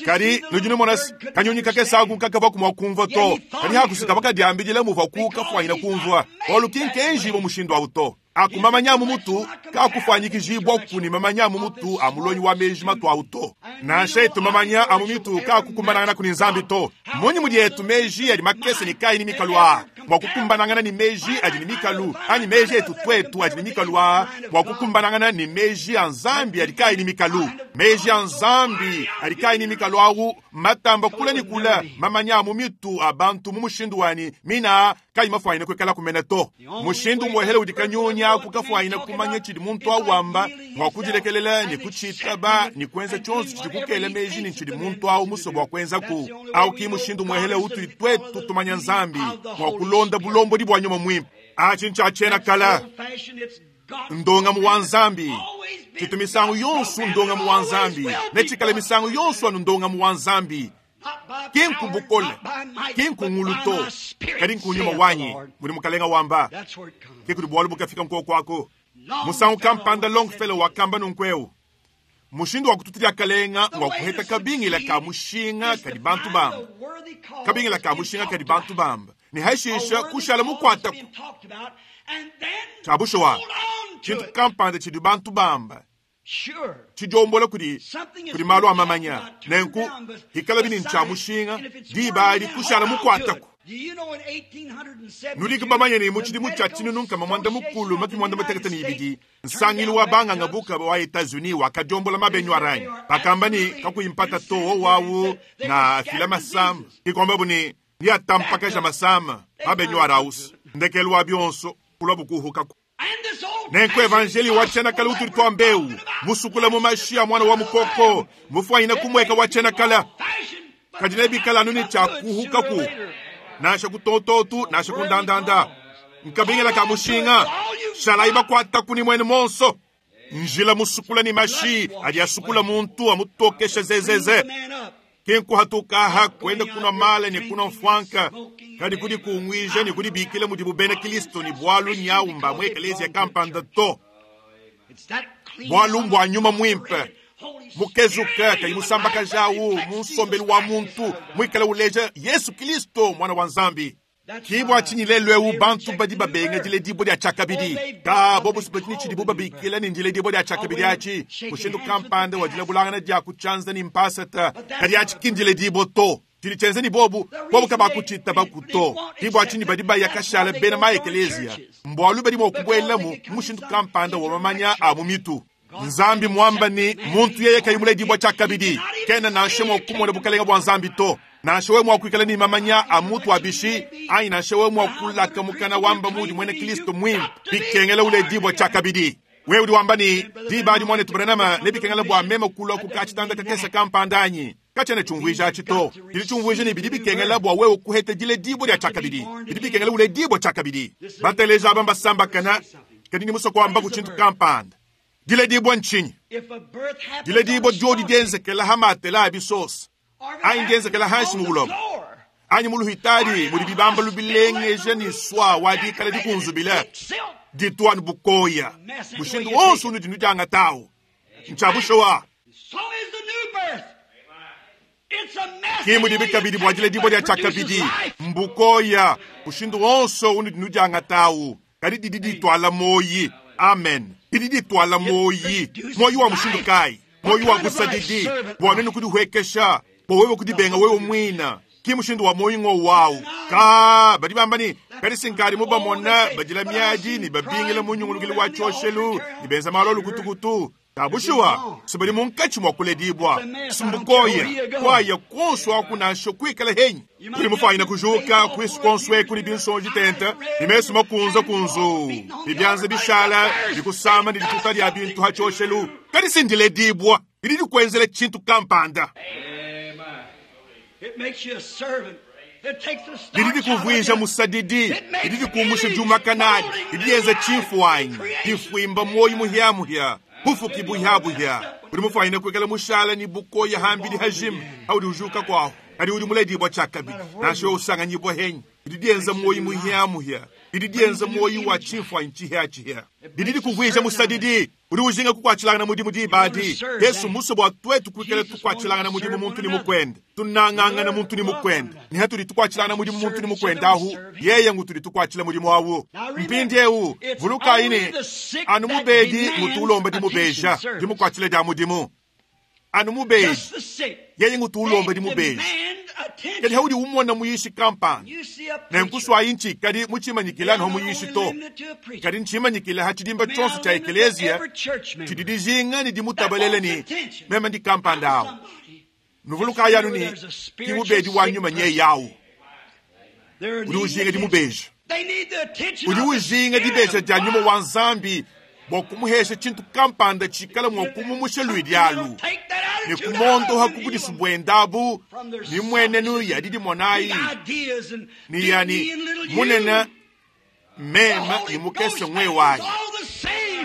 Kadi nudi numona se, kanyunyi kakese aku kakavua mua kumvua to, kadi hakusi kavua kadiambidila muvuaku kafuanyina kumvua. Bualu ki nkenji bua mushindu au to. Aku mamanya a mu mutu kaakufuanyikijibua ne mamanya a mu mutu a mulongi wa meji matu au to. Nansha etu mamanya a mu mitu kaakukumbananganaku ne Nzambi to. Mmunyi mudi etu meji adi makese ne kaayi ne mikalu aa mua kukumbanangana ne meji adi ne mikalu, anyi meji etu tuetu adi ne mikalu aa mua kukumbanangana ne meji a Nzambi adi kaayi ne mikalu? Meji a Nzambi adi kaayi ne mikalu au mmatamba kule ne kule mamanya a mu mitu a bantu mu mushindu wanyi mina aa kayi mafuanyine kuikalaku mene to. Mushindu umuehele udi kanyunyi aku kafuanyine kumanya tshidi muntu au wamba, ngua kudilekelela ne kutshitaba ne kuenza tshionso tshidi kukela meji ne tshidi muntu au musue bua kuenzaku. Au ki mushindu umuehele utudi tuetu tumanya Nzambi, ngua kulonda bulombodi bua Nyuma Muimpe. Atshi ntshia tshiena kale, ndongamu wa Nzambi. Tshitu misangu yonso ndongamu wa Nzambi, ne tshikale misangu yonso anu ndongamu wa Nzambi. Ki nku bukole, ki nku ngulu to, kadi nku nyuma wanyi, mudi Mukalenga wamba. Ke kudi bualu bukafika nkuoku aku. Musangu kampanda Longfellow wakamba nunku eu, Mushindu wa kututa diakalenga ngua kuheta kabingila ka mushinga kadi bantu bamba. Kabingila ka mushinga kadi bantu bamba, ne hashisha kushala mukuataku. Tshia bushuwa, tshintu kampanda tshidi bantu bamba tshidiombola kudi kudi malu a mamanya. Nenku hikalabi ne ntshia mushinga, diba adi kushala mukuataku. Nudi bamanye ne mu tshidimu tshia tshinunu nkama muanda mukulu makumi muanda mutekete ne ibidi, nsangilu wa banganga buka wa Etats-Unis wakadiombola mabenyu aranyi. Bakamba ne kakuyi mpata to wowawu na fila masama. Ke kuambabu ne niatampakaja masama mabenyu arausi. Ndekelu wa bionso kulua bukuhukaku. Nenku evanjeli wa tshiena kale utudi tuamba eu, musukula mu mashi a muana wa mukoko, mufuanyine kumueka wa tshiena kale. Kadi nebikale anu ne tshia kuhukaku, nansha ku tototu, nansha ku ndandanda. Nkabingila ka mushinga, shalayi bakuataku ne muenu monso. Njila musukula ne mashi adi asukula muntu amutokesha zezeze. Ke nkuhatukaha kuenda kunua mala ne kunua mfuanka, kadi kudi kunguija ne kudibikila mudibu bena Kristo ne bualu nyawu mba mu ekeleziya kampanda to. Bualu mbua nyuma muimpe mukezuka kayi musambakajawu mu nsombelu wa muntu muikale uleja Yesu Kristo muana wa Nzambi. Ki bua tshinyi lelu eu bantu badi babenga diledibua dia tshiakabidi? Ka bobu badi ne tshidibu babikila ne ndiledibua dia tshiakabidi atshi, mushindu kampanda wa dilabulangana dia ku tshianza ne mpasata, kadi atshi ki ndiledibua to. Tshidi tshienza ne bobu, bobu kabakutshitabaku to. Ki bua tshinyi badi baya kashala bena ma ekeleziya, mbualu badi mua kubuelamu mu mushindu kampanda wa mamanya a mu mitu. Nzambi muamba ne muntu yeye kayi muledibua tshiakabidi, kena nansha mua kumona bukalenga bua Nzambi to. Nansha wewe mua kuikala ne mamanya a mutu wa bishi, anyi nansha wewe mua kulaka mukana wamba mudi muena Kristo muimpe, bikengela uledibua tshiakabidi. Wewe udi wamba ne diba adi muanetu Branham ne bikengela bua meme kulua ku katshitanda kakese kampanda anyi? Katshiena tshiumvuija atshi to. Tshidi tshiumvuija ne bidi bikengela bua wewe kuheta diledibua dia tshiakabidi. Bidi bikengela uledibua tshiakabidi. Bateleja aba mbasambakana, kadi ni musue kuamba ku tshintu kampanda. Diledibua ntshinyi? Diledibua diodi dienzekela ha matela a bisosa, anyi dienzekela hanshi mu buloba, anyi mu luhitadi mudi bibambalu bilengeja ne swa wa dikala dikunzubile, ditu anu bukoya. Mushindu wonso unudi nudiangatawu ntshia bushuwa. Ki mudibi kabidi bua diledibua dia tshiakabidi, mbukoya. Mushindu wonso unudi nudiangatawu, kadi didi dituala muoyi. Amen. Didi dituala muoyi. Muoyi wa mushindu kayi? Muoyi wa busadidi, bua nuenu kudihuekesha, bua wewe kudibenga wewe muina. Ki mushindu wa muoyi ngo wawu. Ka badi bamba ne kadi sinkadi mubamona badila miadi ne babingila mu nyungulukilu wa tshioshelu ne benza malu a lukutukutu. Bushuwa, sibali munkatshi mua kuledibua simbukoya kwaya konso akunansha kwikala henyi uli mufanyina kujuka kwisu konswe kuli binsonji tenta nimesu makunza kunzu bibyanza bishala bikusama ni lituta lya bintu hachoshelu kadi sindiledibwa lili likwenzela chintu kampanda lili likuvwija musadidi lili likumusha juma kanali lili lienza chifuanyi lifwimba moyo muhyamuhya bufuki buhyabuhya uli mufanyina kwikala mushala ni bukoya hambili hajima auli ujuka kwaho kadi uli muledibwa chakabili nasho usanganyibwa henyi lili lienza moyo muhyamuhya lili lienza moyo wa chifuanyi chihyachiya lili likuvwija musadidi uli ujinga kukwachilanga na mudimu dibadi Yesu muso bwa twetu kwikala tukwachilanga na mudimu muntu ni mukwenda tunang'anga na muntu ni mukwenda niha tuli tukwachilanga na mudimu muntu ni mukwenda ahu yeye ngu tuli tukwachila mudimu awu mpindi ewu vuluka ine anu mubedi ngutuulomba dimubeja dimukwachila dia mudimu anu mubedi yeye ngutuulomba dimubeja kadi haudi umona muyishi kampani nenkuswayi nchi kadi muchimanyikila niho muyishi to kadi nchimanyikila hachidimba chonso cha ekeleziya chidi dijinga ni dimutabalele ni mema ndi kampanda awo nuvuluka yanu ni kimubedi wa nyuma nye yawu udi ujinga dimubeja udi ujinga dibeja dia nyuma wa nzambi bua kumuhesha chintu kampanda chikala mwa kumumusha lwidi alu ni kumondoha kubudisu bwendabu ni mwenenu yadidi monayi ni yani munena mema ni mukese mwe wayi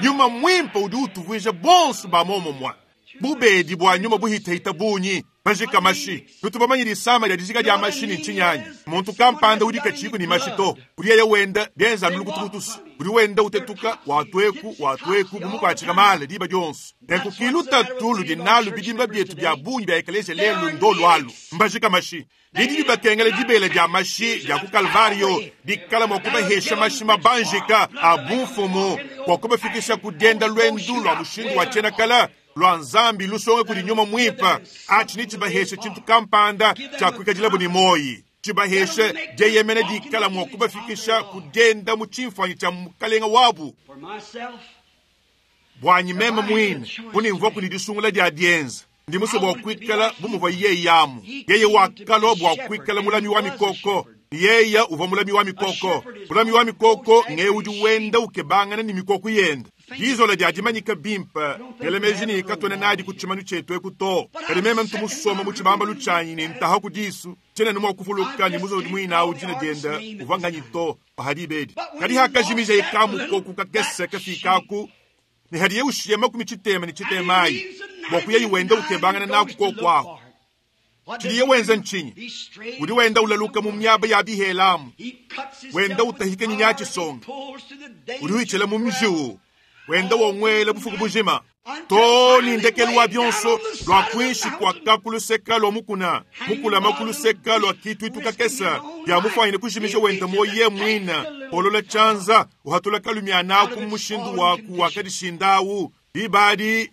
nyuma mwimpa udi utuvwija bonso bamomomwa bubedi bwa nyuma buhitahita bunyi bajika mashi tutubamanyira isama lya dijika lya mashi ni nchinyanya muntu kampanda udi kachiku ni mashi to uli yeye wenda lyenza nulukutukutusu uli wenda utetuka watweku watweku bumukwachika mala liba lyonso nenkukilu ludi nalu bidimba byetu bya bunyi bya ekelesia lelu ndolu alu mbajika mashi lidi libakengela dibela dia mashi dia ku Kalvario dikala mwa kubahesha mashi mabanjika a bumfumu kwa kubafikisha kudenda lwendu lwa mushindu wa chenakala lwa nzambi lusonge kuli nyuma mwimpa achi ni chibaheshe chintu kampanda cha kwikadilabo ni moyi chibaheshe jeyemene dikala mwa kubafikisha kudenda mu chimfanyi cha mukalenga wabu bwanyi meme mwine kunimvwa kuli disungula dia dienza ndi muso bwa kwikala bumuva yeye yamu yeye wakalwa bwa kwikala mulami wa mikoko yeya uva mulami wa mikoko mulami wa mikoko nge udi wenda ukebangana ni mikoko yenda lizola lyadimanyika bimpa ngelemeji ni katwene nadi ku tshimanu chetu eku to kadi meme ntumusoma mu tshibamba lutshanyi ni ntaha ku disu tshene ni kufuluka ni muzodi mwina dina dienda uvanganyi to pahadibedi kadi hakajimija ikamukoku kakese kafikaku ni hadiye ushiye makumi tshitema ni tshitemayi bua kuya wenda ukebangana naku kokwaho tshiliye wenza nchinyi udi wenda ulaluka mu myaba ya bihelamu wenda utahika nyinya tshisonga udi wichela mu mjiwu wenda wongwela bufuku bujima to ni ndekelu wa byonso lwa kwinshi kwaka kuluseka lwa mukuna mukulama kuluseka lwa kitu itukakesa bya mufanyine kujimisha wenda moye mwina olola chanza uhatula kalumya naku mushindu waku wakadishindawu libadi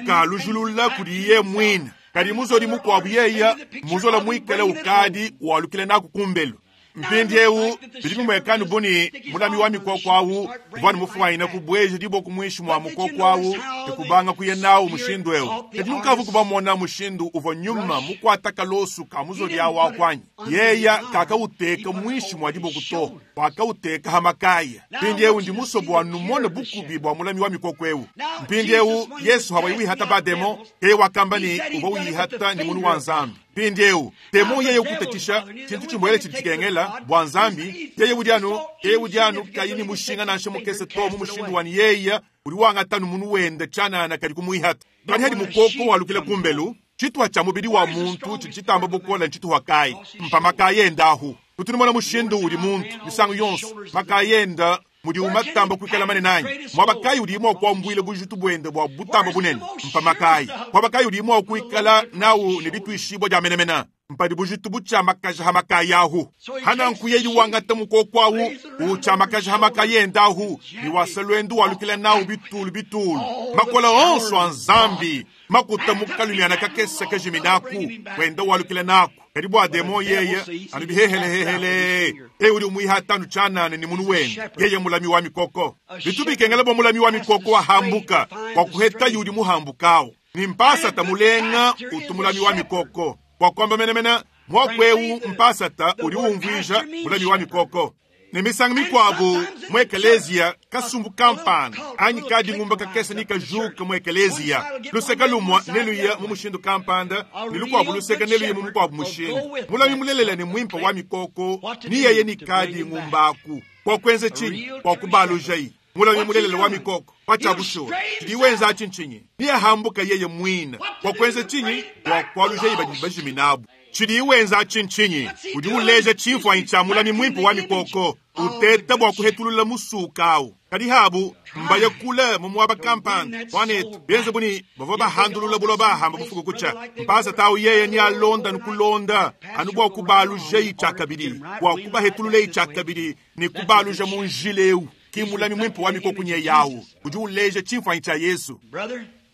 ukalujulula kuli ye mwina kadi muzoli mukwabu yeya muzola mwikala ukadi walukile naku kumbelu mpindi ewu bidi bimwekani buni mulami wa mikoko awu vwani mufwanyina kubweja diboku mwishi mwa mukoko awu tekubanga kuye nawu mushindu ewu kadi mukavu kubamona mushindu uva nyuma mukwata kalosu ka muzoli awu akwanyi yeya kakauteka mwishi mwa diboku to wakauteka hamakaya mpindi ewu ndi musobo wa numona bukubi bwa mulami wa mikoko ewu mpindi ewu Yesu hawayiwihata bademo eye wakamba ni uva wiyihata ni munu wa nzambi mpindi ewu temo yeye kutatisha chintu chimwele chili chikengela bwa nzambi yeye udyanu yeye udyanu kayini mushinga nansha mukese to mu mushindu wani yeya uli wangatanu munu wenda chanana kali kumwihata kali hadi mukoko walukile kumbelu chituha cha mubili wa muntu chili chitamba bukola nchituha kayi mpa makayenda ahu kutunimona mushindu uli muntu misango yonso makayenda mudi umatamba kwikala mane nanyi mwabakayi uli imwe kwambwile bujitu bwende bwa butamba bunene mpa makayi mwabakayi uli imwe kwikala nawu ni bitwishibwa dya menemena mpadi bujitu butshamakaja hamakayi ahu hananku yeyi wangata mukoko awu utshamakaja hamakayi enda ahu niwasa lwendu walukila nawu bitulu bitulu makola onso a nzambi makuta mukalumiana kakesa kajiminaku wenda walukila naku Kadi bua demon yeye anu bihehelehehele, eu udi umuihata anu tshianana ne munu wende, yeye mulami wa mikoko. Bitu bikengela bua mulami wa mikoko wahambuka bua kuhetaye udi muhambukawu. Ni mpasata mulenga utu mulami wa mikoko. Bua kuamba menemene, muaku eu mpasata udi umvuija mulami wa mikoko. Ne misangu mikuabu mu ekeleziya kasumbu kampanda anyi kadingumba kakese ni kajuka mu ekeleziya, luseke lumue neluye mu mushindu kampanda ne lukuabu luseke neluye mu mukuabu mushindu. Mulami mulelela ne muimpe wa mikoko ni yeye ni kadingumbaku bua kuenza tshinyi? Bua kubalujayi. Mulami mulelela wa mikoko pacha bushuwa tshidi wenza atshi ntshinyi? Ni ahambuka yeye muine bua kuenza tshinyi? Bua kualujayi badi bajiminabu. Tshidi wenza atshi ntshinyi? Udi uleja tshimfuanyi tshia mulami muimpe wa mikoko uteta bua kuhetulula musuka awu. Kadi habu mbaya kule mu muaba kampanda mwanetu benze buni bavua bahandulula buloba hamba bufuku kucha mpasa tawu yeye ni alonda nukulonda anu bua kubalujayi tshiakabidi bua kubahetululayi tshiakabidi ni kubaluja mu njila eu. Ki mulami muimpe wa mikoko nye yawu udi uleja tshimfuanyi tshia Yesu.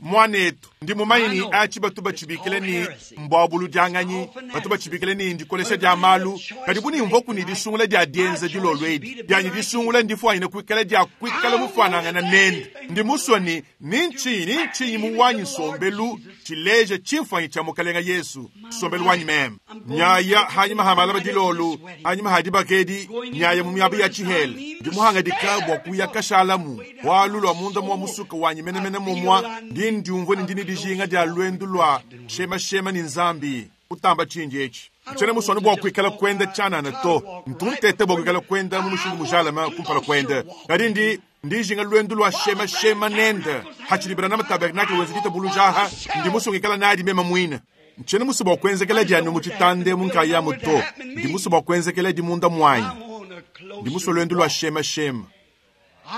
Mwanetu ndi mumanyi ni achi batu bachibikile ni mbwabuludianganyi, batu bachibikile ni ndikolesha dia malu, kadi buni mvoku ni disungula dia dienza dilolwedi dianyi disungula ndifuanyine kuikala dia kuikala mufuanangana nende. Ndi musua ni ntshinyi mu wanyi nsombelu tshileja tshimfuanyi tshia mukalenga Yesu nsombelu wanyi meme. Nyaya hanyima ha malaba dilolu, hanyima ha dibakedi, nyaya mu miaba ya tshihela. Ndi muhangadika bua kuya kashalamu walu lwa munda mwa musuka wanyi menemene momwa ndi ndiumvue ni ndini dijinga dia lwendu lwa shemashema ni nzambi kutamba tshinji etshi. Ntshiena muswane bua kuikala kuenda tshianana to, ntuntete bua kuikala kuenda mu mushindu mujalama kumpala kuenda. Kadi ndi ndijinga lwendu lwa shemashema nende hatshidibela na tabernakle wenza ditabulujaha ndi musungikala nadi mema muine. Ntshiena musu bua kuenzekela dianu mu tshitande mu nkayamu to, ndi musu bua kuenzekela di munda muanyi. Ndi musue lwendu lwa shemashema,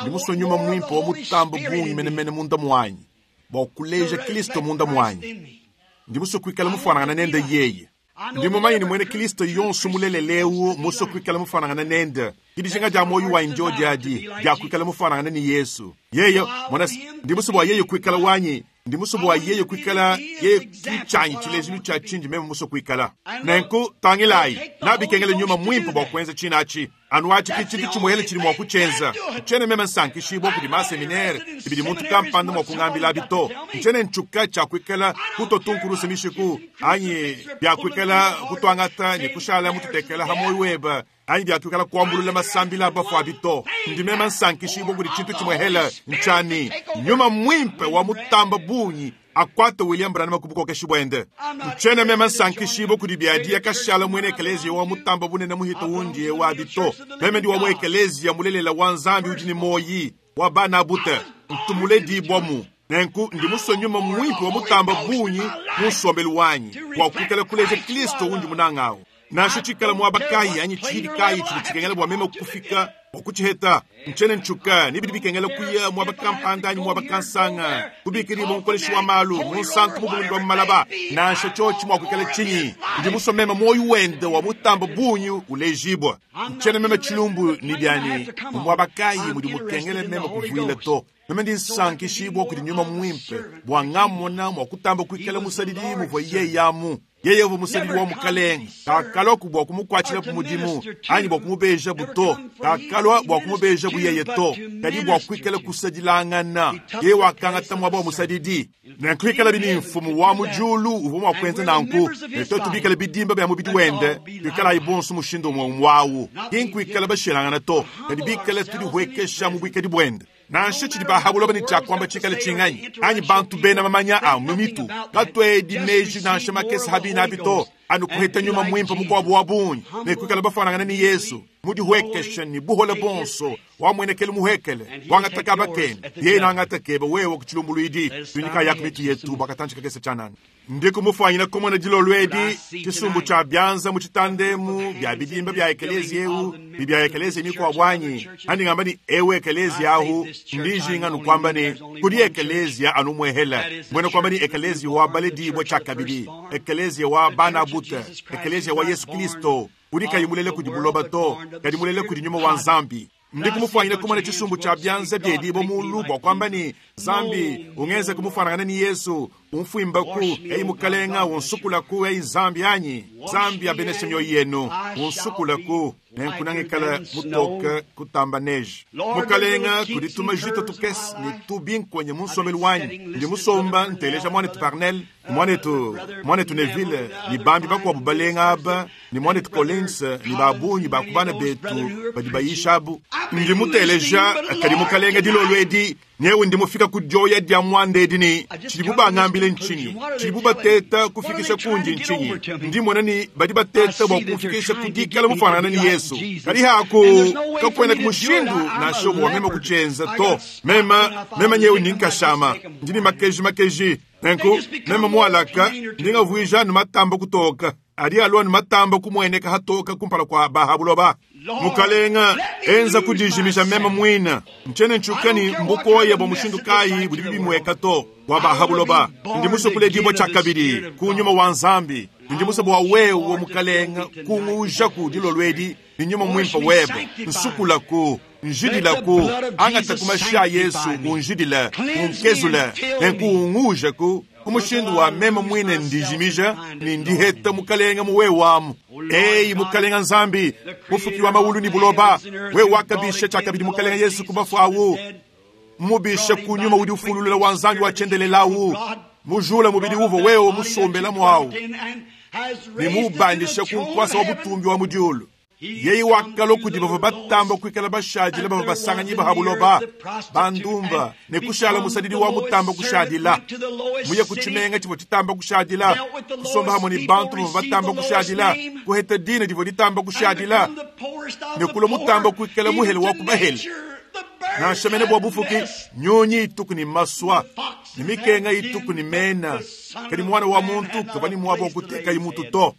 ndi musue nyuma muimpe wa mutambo bungi menemene munda muanyi bua kuleja Kristo munda muanyi. Ndi musue kuikala mufuanangana nende yeye. Ndi mumanyi ni mwene Kristo yonso muleleleu musue kuikala mufuanangana nende. Kidijinga dia moyo wa njo diadi dia kuikala mufuanangana ni Yesu. Yeye mwana ndi musue bua yeye kuikala wanyi, ndi musue bua yeye kuikala yeye kichanyi tshilejilu tshia tshinji meme musue kuikala. Nenku tangilayi nabikengele nyuma muimpe bua kuenza tshinachi. Anu achi kichi kichimuhele chili mwa kuchenza. Nchene meme nsankishibwa kudi maseminere ibidi muntu kampanda mwa kungambila bito. Nchene nchuka cha kuikala kutotunkurusa mishiku anyi bya kuikala kutwangata ni kushala mututekela hamoyo weba anyi bya kuikala kuambulula masambila bafwa bito. Ndi meme nsankishibwa kudi chintu chimuhele nchani nyuma mwimpe wa mutamba bunyi akwata William Branham kubukokeshi bwende. Nchene meme nsankishibwa kudi biadia kashala mwene ekelezia wa mutamba bunene muhito wundi wa bito. Meme ndi wa mu ekelezia mulelela wa nzambi udi ni moyi wa bana bute ntumule dibwamu. Nenku ndi musue nyuma mwimpe wa mutamba bunyi mu nsombelu wanyi wa kuikala kuleja Kristo wundi munangawo. Nansha tshikala muaba kayi anyi tshidi kayi tshidi tshikengela bua meme kufika bua kutshiheta. Ntshiena ntshuka ni bidi bikengela kuya muaba kampanda anyi muaba kansanga kubikiri mu mukoleshi wa malu mu nsantu mu bulundu wa malaba. Nansha tshiotshi mua kuikala tshinyi ndi musue meme moyo wende wa mutamba bunyi ulejibwa. Ntshiena meme tshilumbu ni biani mu muaba kayi mudi mukengela meme kuvuila to. Meme ndi nsankishibwa kudi nyuma mwimpe bua ngamona mua kutamba kuikala musadidi muvua yeyamu. Yeye uvu musadidi wa mukalenge kakalwa bua kumukuatshila ku mudimu anyi bua kumubeja buto, kakalwa bua kumubeja buyeye to, kadi bua kuikala kusadilangana. Yeye wakangata muaba wa musadidi. Nenkuikala bini mfumu wa mujulu uvua mua kuenza nanku, ne tuetu bikale bidimba bya mubidi wende tuikalayi bonso mushindu umwe wawu. Ki nkuikala bashilangana to, kadi bikale tudihwekesha mu buikadi buende. Nansha tshidi bahabuloba ni tshiakuamba tshikale tshinganyi anyi bantu bena mamanya a mu mitu katwedi meji nansha makese habina bito anu kuheta nyuma mwimpe mukuabu wa bunyi ne kuikala bafanangana ni Yesu mudihwekesha ni buhola bonso wamwenekele muhekele wangataka bakene yeye nangatakeba wewe kuchilumbuluidi tunyika yaku mitu yetu bakatanchika kese chanani. Ndi kumufanyina komona dilolwedi tshisumbu tshia byanza mu tshitandemu bya bidimba bya ekelezia eu ni bya ekelezia mikwa bwanyi andi ngamba ni ewe ekelezia ahu ndijinga nukwamba ni kudi ekelezia anu mwehela mwene kwamba ni ekelezia wa baledibwa tshakabidi ekelezia wa bana buta ekelezia wa Yesu Kristo udi kayimulele kudi buloba to kadi mulele kudi nyuma wa nzambi. Ndi kumufanyina kumona tshisumbu tshia byanza byedibo mulu bua kwamba ni Nzambi, ungenze kumufanangana ni Yesu, umfwimbaku, eyi Mukalenga, unsukulaku, eyi Nzambi anyi. Nzambi abeneshe mioyo yenu, unsukulaku, nenkunangikala mutoka kutamba neje. Mukalenga, kudituma jito tukese ne tubinkonye mu nsombelu wanyi. Ndi musomba nteleja mwanetu Parnell, mwanetu, mwanetu Neville, ni bambi bakuabu balenga aba, ni mwanetu Collins, ni babunyi bakubana betu badi bayisha abu. Ndi muteleja kadi Mukalenga dilolo edi, newe ndi mufika ku dioya dia mwanda edi ni tshidibu bangambile ntshinyi, tshidibu bateta kufikisha kundi ntshinyi. Ndi mona ni badi bateta bua kufikisha kudikala mufanana ni Yesu. Kadi haku kakwena kumushindu nansha umwe wa mema kutshienza to. Mema, mema nyewe ni nkashama, ndi ni makeji makeji. Nenku mema mualaka ndi ngavuija nu matamba kutoka. Adi alua nu matamba kumweneka hatoka kumpala kwa bahabuloba. Mukalenga enza kudijimisha mema mwina. Nchene nchukani mbukoya bwa mushindu kayi budi bibimweka to bwa bahabuloba. Ndi musukule dibwa tshia kabidi kunyuma wa Nzambi. Ndi musobo wa wewe Mukalenga kungujaku dilolwedi ni nyuma mwimpa webe. Nsukulaku njidilaku angata kumasha Yesu unjidila unkezula nenkuungujaku kumushindu wa mema mwine ndijimija ni ndiheta Mukalenga muwe wamu. Eyi Mukalenga Nzambi mufuki wa maulu ni buloba we wakabisha chakabidi Mukalenga Yesu kubafu awu mubisha kunyuma udi ufululula wa Nzambi wachendelelawu mujula mubidi uvo wewe musombela mwawu ni mubandisha kunkwasa wa butumbi wa mudiulu. Yeyi wakalo kudi bava batamba kuikala bashadila bava basanganyi bahabuloba bandumba ne kushala musadidi wa mutamba kushadila muye kutshimenga tshivo tshitamba kushadila kusomba hamwe ni bantu bava batamba kushadila kuheta dina divo ditamba kushadila ne kulo mutamba kuikala muhele wa kubahele nansha mene bua bufuki nyonyi ituku ni maswa ni mikenga ituku ni mena kadi mwana wa muntu kava ni mwabo wa kuteka imutu to.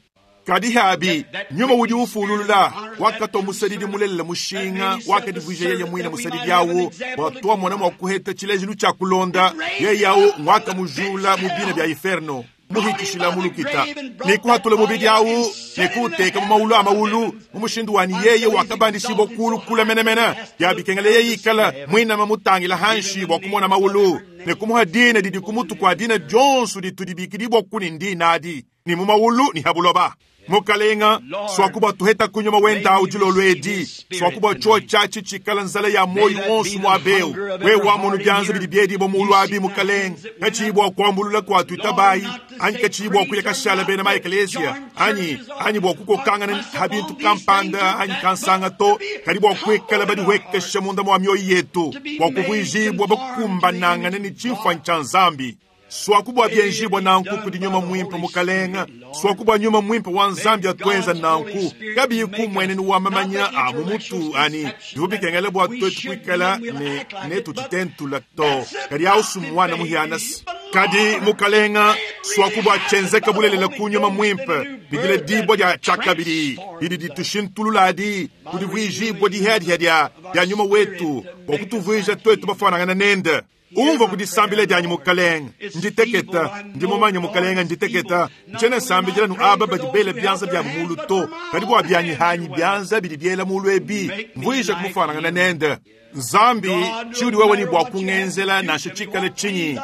Kadi habi nyuma udi ufululula wakato musadidi mulelela mushinga wakadivuija yeye mwine musadidi awu watwa mwana mwa kuheta tshilejilu tshia kulonda yeye awu ngwaka mujula mu bina bya inferno muhikishila mulukita nikuhatula mubidi awu nikuuteka mu maulu a maulu mu mushindu wani yeye wakabandishibwa kulu kula menemene yabikengela yeye ikala mwinama mutangila hanshi bwa kumona maulu nekumuha dina didi kumutu kwa dina dionso ditudibikidibwa kuni ndina adi ni mu maulu ni habuloba. Mukalenga swakuba tuheta kunyuma wenda udilolo edi swakuba cho chachi chikala nzala ya moyo wonso mwabeu we wa munu byanza bidi byedi bo mulu abi mukalenga kachibwa kwambulula kwa tuitabai anyi kachibwa kuya kashala bena ma eklesia anyi anyi bwa kukokangana habintu kampanda anyi kansanga to kadi bwa kwikala badi wekesha munda mwa mioyo yetu bwa kuvuijibwa bakumbanangana ni chifwa ncha Nzambi. Swakubwa byenjibwa nanku kudi nyuma mwimpe Mukalenga swakubwa nyuma mwimpe wa Nzambi atwenza nanku kabi kumwenenu wa mamanya a mumutu ani bivubikengele bwa twetu kwikala ne netu titentula to kadi ausu mwana muhianasi kadi Mukalenga swakubwa chenzeka bulelela kunyuma mwimpe bidile dibwa dia chakabidi didi ditushintulula adi kudivuijibwa dihadihadya dia nyuma wetu bwa kutuvuija twetu bafanangana nende. Umva kudisambila dyanyi Mukalenga nditeketa ndimumanya Mukalenga nditeketa nchene sambila nu aba badi bela byanza bya mulu to kadi bwa byanyi hanyi byanza bidi byela mulu ebi mvuija kumufanangana nende. Nzambi tshiudi wewe ni bwa kungenzela nansha tshikale tshinyi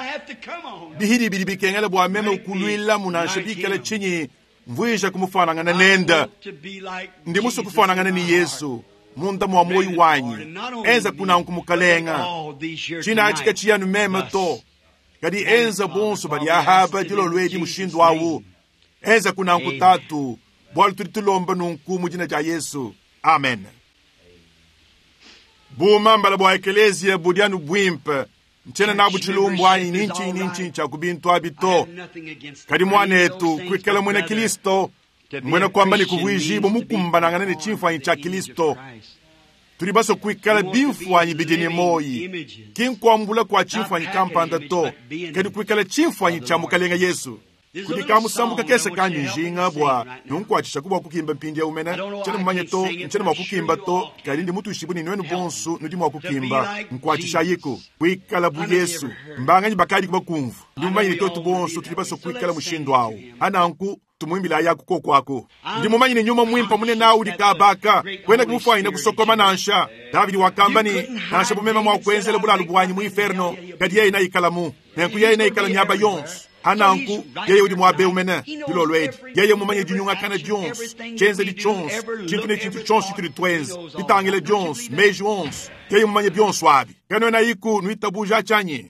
bihidi bidi bikengela bwa meme ukulwila mu nansha bikale tshinyi mvuija kumufanangana nende. Ndi musu kufanangana ni Yesu munda mwa moyo wanyi enza kunanku Mukalenga china chika chiyanu meme to kadi enza bonso badi ahaba dilolwedi mushindu awu enza kunanku tatu bwalu tudi tulomba nunku mu dina dia Yesu amen. Bumambala bwa eklesia budianu bwimpe nchena nabu tshilumbu anyi ninchi ninchi cha kubintu abi to kadi mwanetu kwikala mwena Kristo mwena kwamba ni kuvuijibo mukumbanangana ne chimfwanyi cha Kristo tuli baso kwikala bimfwanyi bidini moyi kinkwambula kwa chimfwanyi kampanda to kadi kwikala chimfwanyi cha Mukalenga Yesu kudi kamusambuka kese kanyu njinga bwa nunkuatshisha kubwa kukimba mpindi ya umena nchena mumanye to nchena mwa kukimba to kadi ndi mutushibu ni nwenu bonsu nudi mwa kukimba nkuatshisha yiko kwikala bu Yesu mbanganyi bakadi kuba kumvu ndi mumanye ni totu bonsu tuli baso kwikala mushindu awu ananku. Tumuimbilayaku koku aku. Ndi mumanye ne Nyuma Muimpe munene awu udi kaaba aka, kwena kumufwanyine kusokoma nansha. Davidi wakamba ne, Nansha bu meme mwa kwenzela bulalu bwanyi mu inferno, kadi yeye neikalamu. Nenku yeye neikala miaba yonso. Pa nanku, yeye udi mwaba eu mene, dilolo edi. Yeye mmumanye dinyungakana dionso, tshienzedi tshionso, tshintu ne tshintu tshionso tshitudi tuenza, ditangila dionso, meji onso. Yeye mmumanye bionso abi. Kanuenayiku nuitabuja atshi anyi?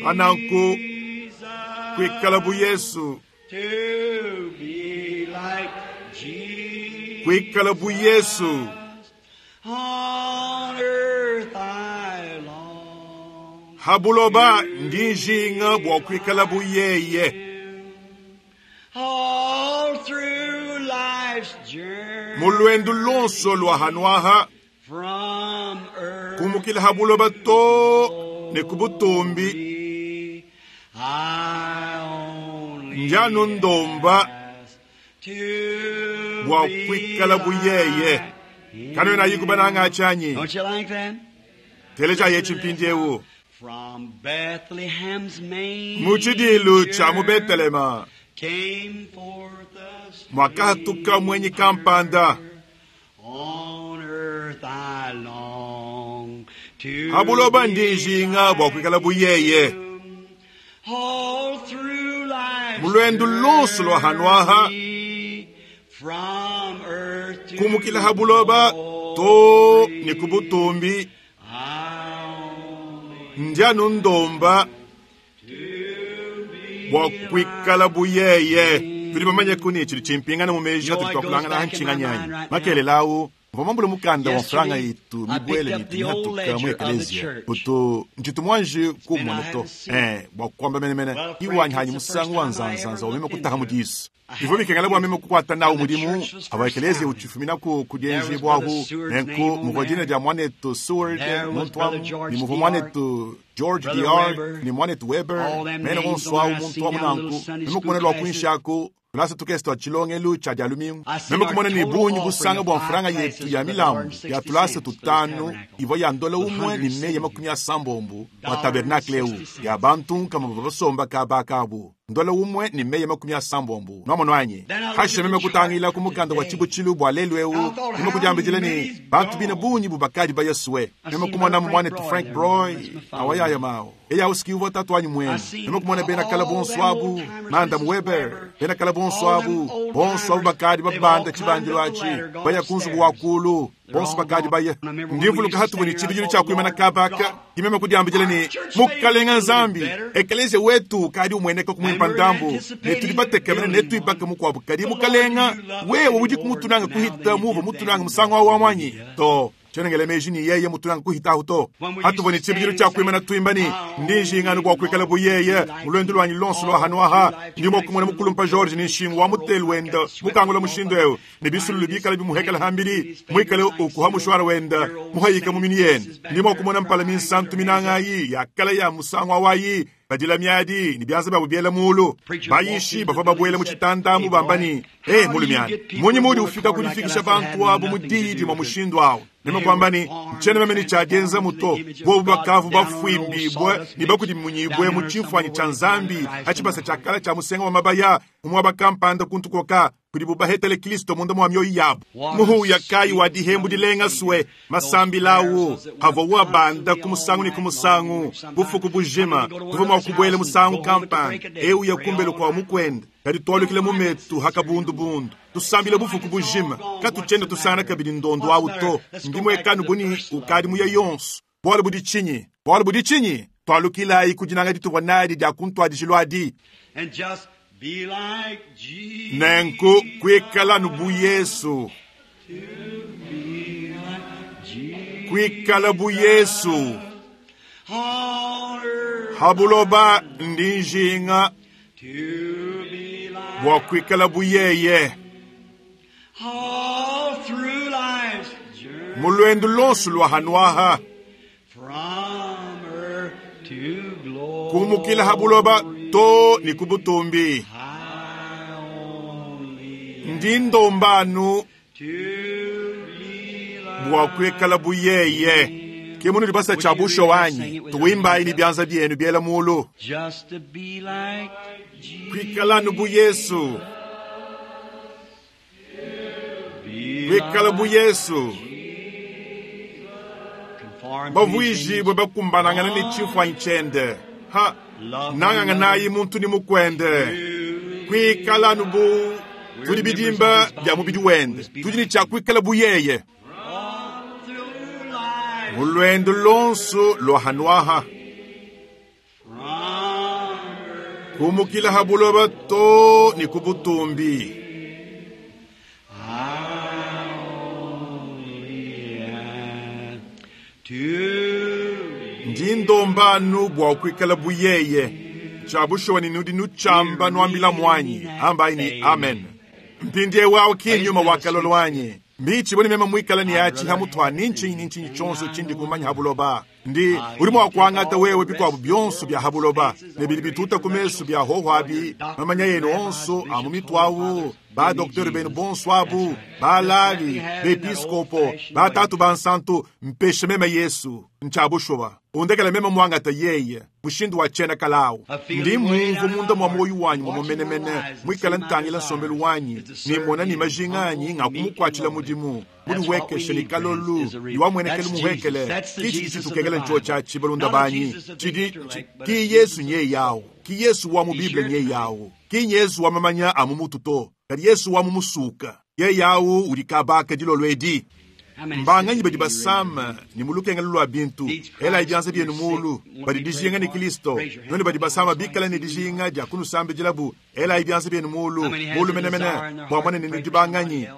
Pa nanku, kuikala bu Yesu, kuikala bu Yesu. Ha buloba ndi njinga bua kuikala bu yeye. Mu luendu luonso lua hanuaha, kumukila ha buloba to ne ku butumbi, ndi anu ndomba bua kuikala bu yeye. Kanuenayiku bananga tshianyi? Telejayi etshi mpindieu. Mu tshidiilu tshia mu Betelema muakahatuka muenyi kampanda. Ha buloba ndi njinga bua kuikala bu yeye. Mu luendu luonso lua hanuaha, kumukila ha buloba too ne ku butumbi, ndi anu ndomba bua kuikala bu yeye. Tudi bamanyeku ne tshidi tshimpingana mu meji atudi tuakulangana aha ntshinganyi anyi? Makelela au mvua muambule mukanda wa mfranga itu mibuele ne itu mihatuka mu ekeleziya. Utu ntshitu muanji kuumona to. Ee, bua kuamba menemene, ki wanyi hanyi musangu wa nzanzanza wa meme kutaha mu disu. Bivua bikengela bua meme kukuata nawu mudimu avua ekeleziya utshifuminaku ku dienjibuahu. Nenku muvua dina dia muanetu Seward muntu amu, ne muvua muanetu George DR ne muanetu Weber, mena bonso awu muntu amu nanku. Meme kumona lua kuinshi aku tulasa tukese tua tshilongelu tshia Dia lumingu. Meme kumona ne bungi busanga bua mfranga yetu ya milambu ya tulasa tutanu ivua ya ndola umue ne meyi 60 bua tabernakle eu, ya bantu nkama bavua basomba kaba aka abu. Ndola umue ne meyi 70. Nwamonu anyi? Pashishe meme kutangila ku mukanda wa tshibutshilu bua lelu eu, meme kudiambidila ne, Bantu bine bungi bu bakadi baya sue. Meme kumonamu muanetu Frank Broy, awayaya mawu. Yeye au si uvua tatuanyi muenu. Meme kumona bena kale bonso abu, Mandam Weber, bena kale bonso abu, bonso abu bakadi babanda tshibandilu atshi, baya ku nzubu wa kuulu. Bonso bakadi baya. Ndi mvuluka hatuvua ne tshibidilu tshia kuimana kaba aka, ke meme kudiambidila ne, Mukalenga Nzambi, ekeleziya wetu ukadi umueneka ku muimpa ndambu, ne tudi batekemene ne netuibake mukuabu. Kadi, Mukalenga, wewe udiku mutunange kuhita muuvua mutunange musangu au amu anyi? Too, tshiena ngela meji ne yeye mutunange kuhita ahu to. Hatuvua ne tshibidilu tshia kuimana tuimba ne, Ndi njinga anu bua kuikala bu yeye mu luendu luanyi luonso lua hanu aha. Ndi mua kumona mukulumpa George ne nshingu wa mutelu wenda mukangula mushindu eu, ne bisululu bikale bimuhekela hambidi, muikale ukuha mushwara wenda muhayika mu minu yende. Ndi mua kumona mpala minsantu minanga ayi ya kale ya musangu awayi, badila miadi ne bianza biabu biela mulu. Bayishi bavua babuela mu tshitanda amu bamba ne, Eh, mulumiana, mmunyi muudi ufika ku difikisha bantu abu mu diyi dimue mushindu au? Meme kuamba ne, Ntshiena meme ne tshia dienzamu to. Bobu bakavua bafuimbibue ne bakudimunyibue mu tshimfuanyi tshia Nzambi ha tshibasa tshia kale tshia musenga wa mabaya mu muaba kampanda kuntu kuoka kudibu bahetele Kristo munda mua mioyo yabu. Muhuya kayi wa dihembu dilenga sue masambila au avua uabanda ku musangu ne ku musangu bufuku bujima. Tuvua mua kubuela musangu kampanda eu ya kumbelu kua mukuende, kadi tualukila mu metu ha kabundubundu tusambila bufuku bujima. Katutshiena tusangana kabidi ndondu au to. Ndimuekanu bu ne ukadi muya yonso. Bualu budi tshinyi? Bualu budi tshinyi? Tualukilayi ku dinanga dituvua nadi dia ku ntuadijilu adi. Nenku kuikala anu bu Yesu, kuikala bu Yesu ha buloba, ndi njinga bua kuikala bu yeye. Mu luendu luonso lua hanuaha, kumukila ha buloba to ne ku butumbi, ndi ndomba anu bua kuikala bu yeye. Ke munudi basa tshia bushuwa anyi? Tuimbayi ne bianza bienu biela mulu. Just to be like Jesus. Kuikala bu Yesu. Be Kuikala bu Yesu. conformed to his Bavuijibwe image. bakumbanangana ne tshimfuanyi tshiende. Ha nanganganayi muntu ni mukwende. Kuikala bu tudi bidimba bia mubidi wende. Tudi ne tshia kuikala bu yeye. All through life. Mu lwendo lonso lwa hanwaha. From Kumukila ha buloba to ni ku butumbi. I only ask to Ndi ndombanu bua kuikala bu yeye. Tshia bushuwa ni nudi nutshamba nuambila mwanyi. Ambayi ni amen. Mpindiewu awu ki nyuma wa kalolo wanyi. Mbichi boni mema mwikala ni achi hamutwa ni nchinyi ni nchinyi chonso chindi kumanya habuloba. Ndi uli mwa kuangata wewe bikwabu byonso bya habuloba. Ne bili bituta ku meso bya hohwabi. Mamanya yenu onso amu mitwawu. Ba docteur benu bonso abu. Ba lavi, bepiskopo, ba tatu bansantu mpeshe mema Yesu. Ntshabushuwa. Undekela mema mwangata yeye. Mushindu wa chena kalawu. Ndi mumvu munda mwa moyo wanyi mwa mumenemene. Mwikala ntangila nsombelu wanyi. Nimona ni majinga anyi ngakumukwatshila mudimu. Mudi wekeshe ni kalolu. Iwamwenekele muhekele. Kichi chitukekele ncho cha chibalunda banyi. Chidi ki Yesu nye yawo. Ki Yesu wa mu Biblia nye yawo. Ki Yesu wa mamanya amu mutu to. Kadi Yesu wa mu musuka. Ye yawo udi kabaka dilolo edi. How many Mbanganyi sick badi of you raise your basama hand? ni mulukenga lulwa bintu ela ibyanza byenu mulu badi dijinga ni Kristo none badi basama bikala ni dijinga dia kunusambidilabu ela ibyanza byenu mulu mulu menemene bua mwana ni dibanganyi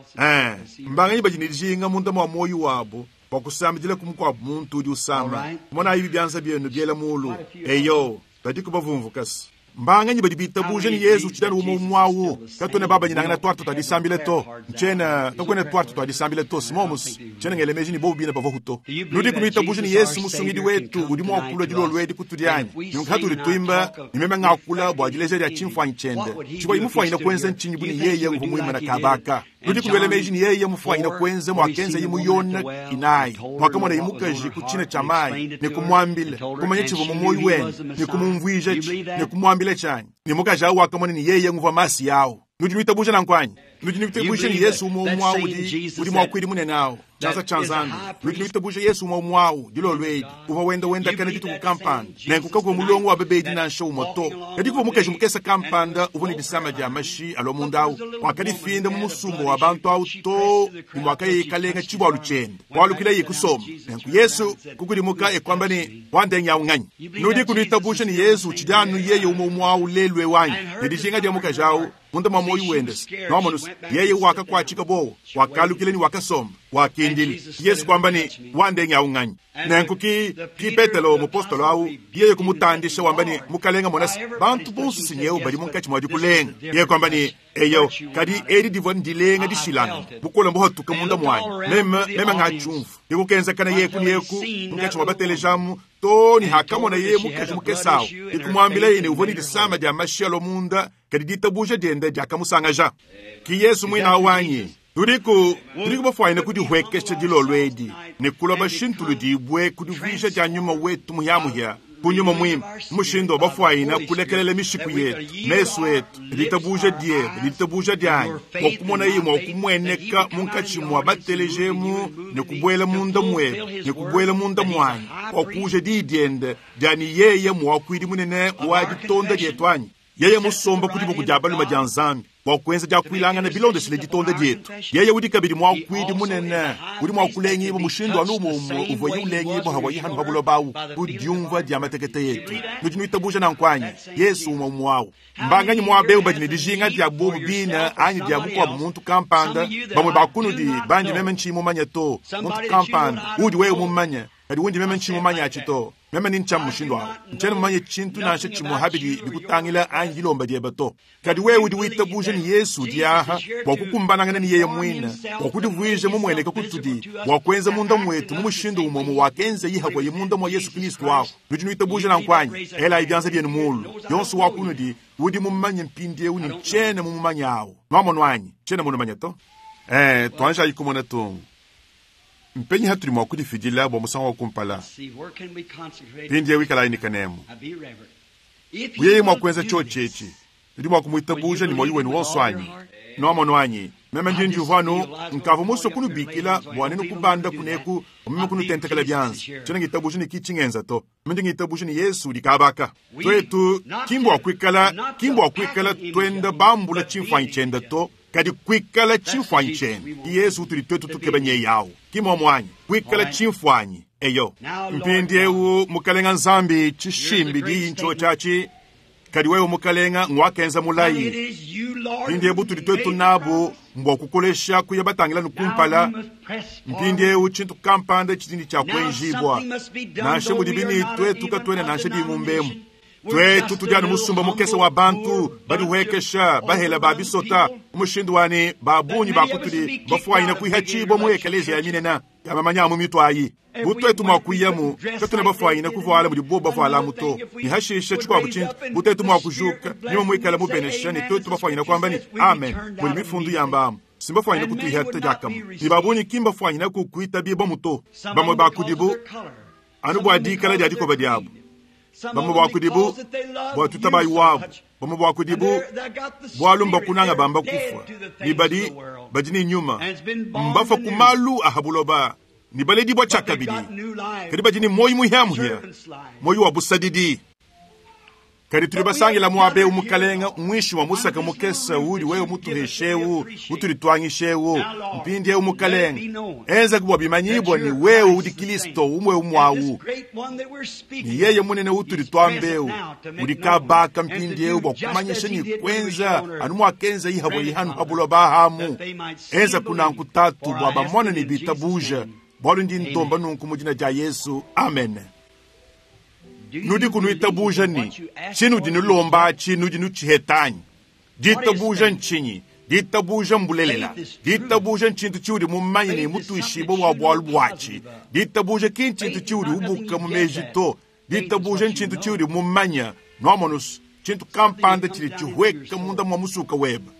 mbanganyi badi ni dijinga munda mwa moyo wabo bua kusambidila kumukuabu muntu udi usama mona ibi byanza byenu byela mulu eyo badi kubavumvukasi mbanganyi badi bitabuja ni Yesu tshidani umo mwawu katone baba nyinangana twatu twadisambile to nchena tokwene twatu twadisambile to simomus nchena ngelemeji ni bobu bina bavohuto nudi kumitabuja ni Yesu musungidi wetu udi mwakula dilolo edi kutudianyi nungu hatuli twimba nimeme ngakula bua dileja dia tshimfuanyi tshiende tshikwa imufwanyina kwenza nchinyi buni yeye nguvumwima na kabaka nudi kumelemeji ni yeye mufwanyina kwenza mwakenza imuyona inayi mwakamona imukaji ku china cha mayi ni kumwambila kumanya chivo mu moyo wene ni kumumvwija chi ni kumwambila chanyi ni mukaji awu wakamona ni yeye nguva masi yawo nudi nwitabuja na nkwanyi nudi nwitabuja ni Yesu umwe umwawu udi udi mwakwidi munene awo chanza cha Nzambi nudi nwitabuja Yesu umwe umwawu dilolo edi uva wenda wenda kana dituku kampanda nenkuka mulongo wa bebedi nansha umoto kadi kuva mukaji mukesa kampanda uva ni disama dia mashi alo mundawu wakadifinda mu musumba wa bantu awu to imwakayikalenga chibwalu chende walukila ye kusoma nenku Yesu kukudimuka ekwamba ni wandenya unganyi nudi kunwitabusha ni Yesu uchidanu yeye umwe umwawu lelwe wanyi ne dijinga dia mukaji awu munda mwa moyo wendesi nomonus yeye wakakwachika bowo wakalukile ni wakasoma wakindile Yesu kwamba ni wandenya unganyi nenku ki Petelo mupostolo awu yeye kumutandisha wamba ni mukalenga monasi bantu bonso sinyewu badi munkatshi mwa dikulenga yeye kwamba ni eyo kadi edi divua ndilenga dishilana bukola mbuhatuka munda mwanyi meme meme ngachumvu dikukenzekana yeku ni yeku munkatshi mwa batelejamu to ni hakamona yeye mukaji mukesawu dikumwambila yene uvua ni disama dia mashialo munda kadi ditabuja diende diakamusangaja ki Yesu mwina wanyi tudiku tudiku bafwanyina kudihwekesha dilolo edi ne kuloba shintulu dibwe kudivuija dia nyuma wetu muhyamuhya kunyuma mwimpe mushindu wa bafwanyina kulekelela mishiku yetu meso etu ditabuja diebe ditabuja dianyi bua kumona ye mua kumweneka munkatshi mua batelejemu ne kubuela munda mwebe ne kubuela munda mwanyi bua kuja diyi diende dia ni yeye muakuidi munene wa ditonda dietu anyi yeye musomba ku diboko dia baluma dia Nzambi bua kuenza dia kuilangana bilondeshile ditonda dietu yeye udi kabidi muakuidi munene udi mua kulengiibwa mushindu anu umwe uvua ye ulengiibwa hawa ye hanu ha buloba awu ku diumvua dia matekete yetu nudi nuitabuja nanku anyi Yesu umwe umwe mbanganyi muabeu badi ne dijinga dia bobu bina anyi dia mukuabu muntu kampanda bamue bakunudi bandi meme ntshiyi mumanye to muntu kampanda udi wewe mumanye kadi wundi meme ntshiyi mumanye atshi to meme ni ntshiamu mushindu awu ntshiena mumanye tshintu nansha tshimue habidi bikutangila anyi dilomba diebe to kadi wewe udi witabuja ni Yesu udi aha bua kukumbanangana ni yeye mwina bua kudivuija mumueneka kutudi bua kuenza munda mwetu mu mushindu umwe mu wakenza yihakwa ye munda mwa Yesu Kristu awu nudi nuitabuja nanku anyi ela ibyanza byenu mulu yonso wa kunudi udi mumanye mpindiewu ni ntshiena mumumanye awu nwamonu anyi ntshiena munumanye to twanja yikumona tungu. Mpenyi hatudi mua kudifidila bua musangu wa kumpala? Mpindieu ikalayi ne kanemu. Bu yeye mua kuenza tshiotshi etshi, nudi mua kumuitabuja ne muoyo wenu wonso anyi? Nuamonu anyi? Meme ndi ndiumvua anu nkavua musue kunubikila bua nenu kubanda kuneku bua meme kunutentekela bianza. Tshiena ngitabuja ne ki tshingenza to. Meme ndi ngitabuja ne Yesu udi kabaka. Tuetu ki mbua kuikala, ki mbua kuikala tuenda bambula tshimfuanyi tshiende to, kadi kuikala tshimfuanyi tshiende. Ki Yesu utudi tuetu tukeba nyeye au. Ki muomu anyi? Kuikala tshimfuanyi. Eyo. Mpindieu, Mukalenga Nzambi, tshishimbi diyi ntshiotshi atshi, kadi wewe Mukalenga nguakenza mulayi. Mpindieu butudi tuetu nabu mbua kukolesha kuya batangila nu kumpala. Mpindieu tshintu kampanda tshidi ne tshia kuenjibua, nansha mudibi ne tuetu katuena nansha dingumba emu. Tuetu tudi anu musumba mukese wa bantu badihuekesha, bahela ba bisota, mu mushindu wa ne ba bungi ba kutudi bafuanyine kuihatshibua mu ekeleziya ya minene ya mamanya a mu mitu ayi. Bu tuetu mua kuyamu, katuena bafuanyine kuvuala mudi bobu bavualamu to. Ne hashisha tshikuabu tshintu, bu tuetu mua kujuka, nyuma muikale mubenesha, ne tuetu bafuanyine kuamba ne, Amen, mudi mifundu yamba amu, si mbafuanyine kutuihata diakamue. Ne ba bungi ki mbafuanyine kukuitabibuamu to, bamue ba kudibu anu bua dikala dia dikoba diabu, bamue ba kudibu bua tutabayi wabu, bamue ba kudibu bualu mbakunanga bamba kufua, ne badi, badi ne nyuma, mbafua ku malu a ha buloba ne baledibua tshiakabidi, kadi badi ne muoyo muhia-muhia, muoyo wa busadidi. Kadi tudi basangila muaba eu, Mukalenga, muinshi mua musaka mukese udi wewe mutuheshe eu, utudi tuangisha eu. Mpindieu, Mukalenga, enzaku bua bimanyibua ne wewe udi Kilisto umue umue au, ne yeye munene utudi tuamba eu udi kabaka mpindieu bua kumanyisha ne kuenza anu muakenza ihabua ihanu ha buloba amu. Enzaku nanku, Tatu, bua bamone ne bitabuja, bualu ndi ndomba nunku mu dina dia Yesu. Amen. Nudi kunuitabuja ne tshinudi nulomba atshi nudi nutshiheta anyi? Ditabuja ntshinyi? Ditabuja mbulelela. Ditabuja ntshintu tshiudi mumanye ne mutuishibue bua bualu buatshi. Ditabuja ki ntshintu tshiudi ubuka mu meji to. Ditabuja ntshintu tshiudi mumanye. Nuamonu, tshintu kampanda tshidi tshihueka munda mua musuka webe.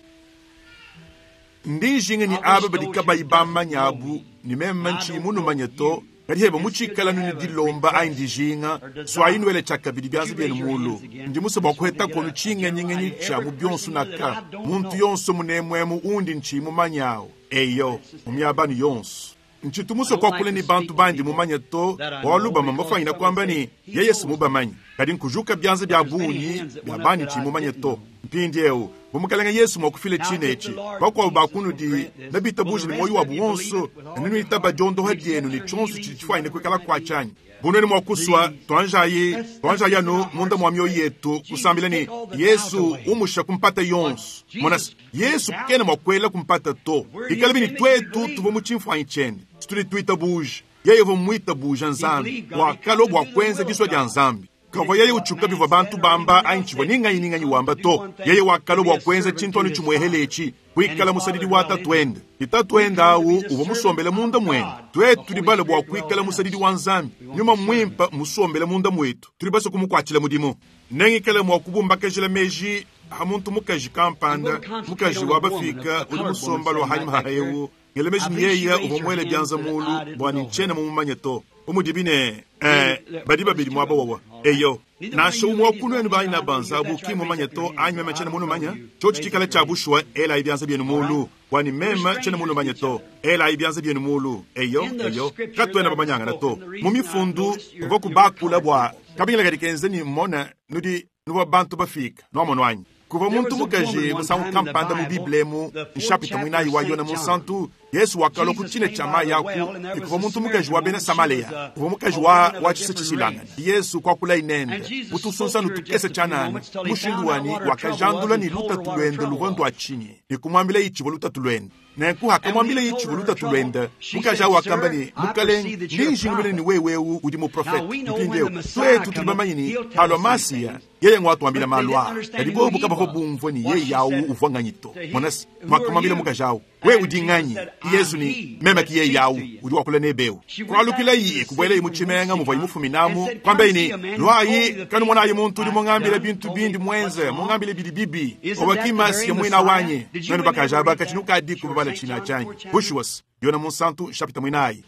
Ndi njinga ne aba badi kabayi bamanye abu ne meme ntshiyi munumanye to, kadi heba mutshikala nu ne dilomba anyi dijinga, suayi nuele tshiakabidi bianza bienu mulu. Ndi musue bua kuhetaku tshingenyingenyi tshia mu bionso naka, muntu yonso munemuemu undi ntshiyi mumanye awu, eyo, mu miaba anu yonso. Ntshitu musue kuakula ne bantu bandi mumanye to, bualu bamue mbafuanyine kuamba ne, Yeye si mubamanye. Kadi nkujuka bianza bia bungi bia bandi tshiyi mumanye to. Mpindieu, bu Mukalenge Yesu mua kufila tshine etshi, bakuabu ba kunudi nebitabuje ne muoyo wabu wonso ne nenuitaba diondoha dienu ne tshionso tshidi tshifuanyine kuikala kuatshi anyi? Bu nuenu mua kusua, tuanjayi, tuanjayi anu munda mua mioyo yetu kusambila ne, Yesu, umusha ku mpata yonso. Mona se, Yesu kena mua kuela ku mpata to. Bikalabi ne tuetu tuvua mu tshimfuanyi tshiende, tudi tuitabuja. Yeye uvua muitabuja Nzambi, wakalua bua kuenza disua dia Nzambi. Kavua yeye utshiuka bivua bantu bamba anyi tshivua ni nganyi ni nganyi wamba to. Yeye wakalua bua kuenza tshintu anu tshimuehele etshi, kuikala musadidi wa Tatuende. Ne Tatuende au uvua musombele munda muende. Tuetu tudi balue bua kuikala musadidi wa Nzambi. Nyuma Muimpe mmusombele munda muetu. Tudi basue kumukuatshila mudimu. Nengikale mua kubumbakajila meji ha muntu mukaji kampanda, mukaji wa bafika udi musomba lua hanyima ha eu, ngela meji ne yeye uvua muele bianza mulu bua ne ntshiena mumumanye to. Bu mudibi ne, eh, badi babidi muaba wawa. Eyo. Nansha umue wa ku nuenu banyi nabanza abu ki mmumanye to, anyi meme tshiena munumanye, tshiotshi tshikale tshia bushuwa, elayi bianza bienu mulu, bua ne meme tshiena munumanye to. Elayi bianza bienu mulu. Eyo, eyo. Katuena bamanyangana to. Mu Mifundu bavua kubakula bua kabingila kadi kenza ne mmona nudi nuvua bantu bafika. Nuamonu anyi? Kuvua muntu mukaji musangu kampanda mu Bible emu, nshapita muinayi wa Yone Munsantu, Yesu wakalua ku tshina tshia mayi aku, ne kuvua muntu mukaji wa bena Samalea, uvua mukaji wa, wa tshisa tshishilangane. Yesu kuakulaye nende mu tusunsanu tukese tshianana, mushindu wa ne wakajandula ne lutatu luende luvua ndua tshinyi, ne kumuambilaye tshivua lutatu luende. Nenku hakamuambilaye tshivua lutatu luende, mukaji au wakamba ne, Mukalenge, ndi njingulula ne wewe eu udi muprofete. Mpindieu tuetu tudi bamanye ne, halua Masiya, yeye nguatuambila malu aa. Kadi bobu kabavua bumvue ne yeye au uvua nganyi to. Mona se, muakamuambila mukaji au, Wewe udi nganyi? Yezu ne, Meme ki yeye au udi wakula nebe eu. Kualukilaye, kubuelaye mu tshimenga muvuaye mufuminamu, kuambaye ne, Luayi, kanumonayi muntu udi mungambile bintu bindi muenze, mungambile bidi bibi. Owa ki Masiya muina wanyi. Nuenu bakaji aba, katshi nukadiku babala tshina tshianyi. Bushuwa se, Yone Munsantu, nshapita muinayi.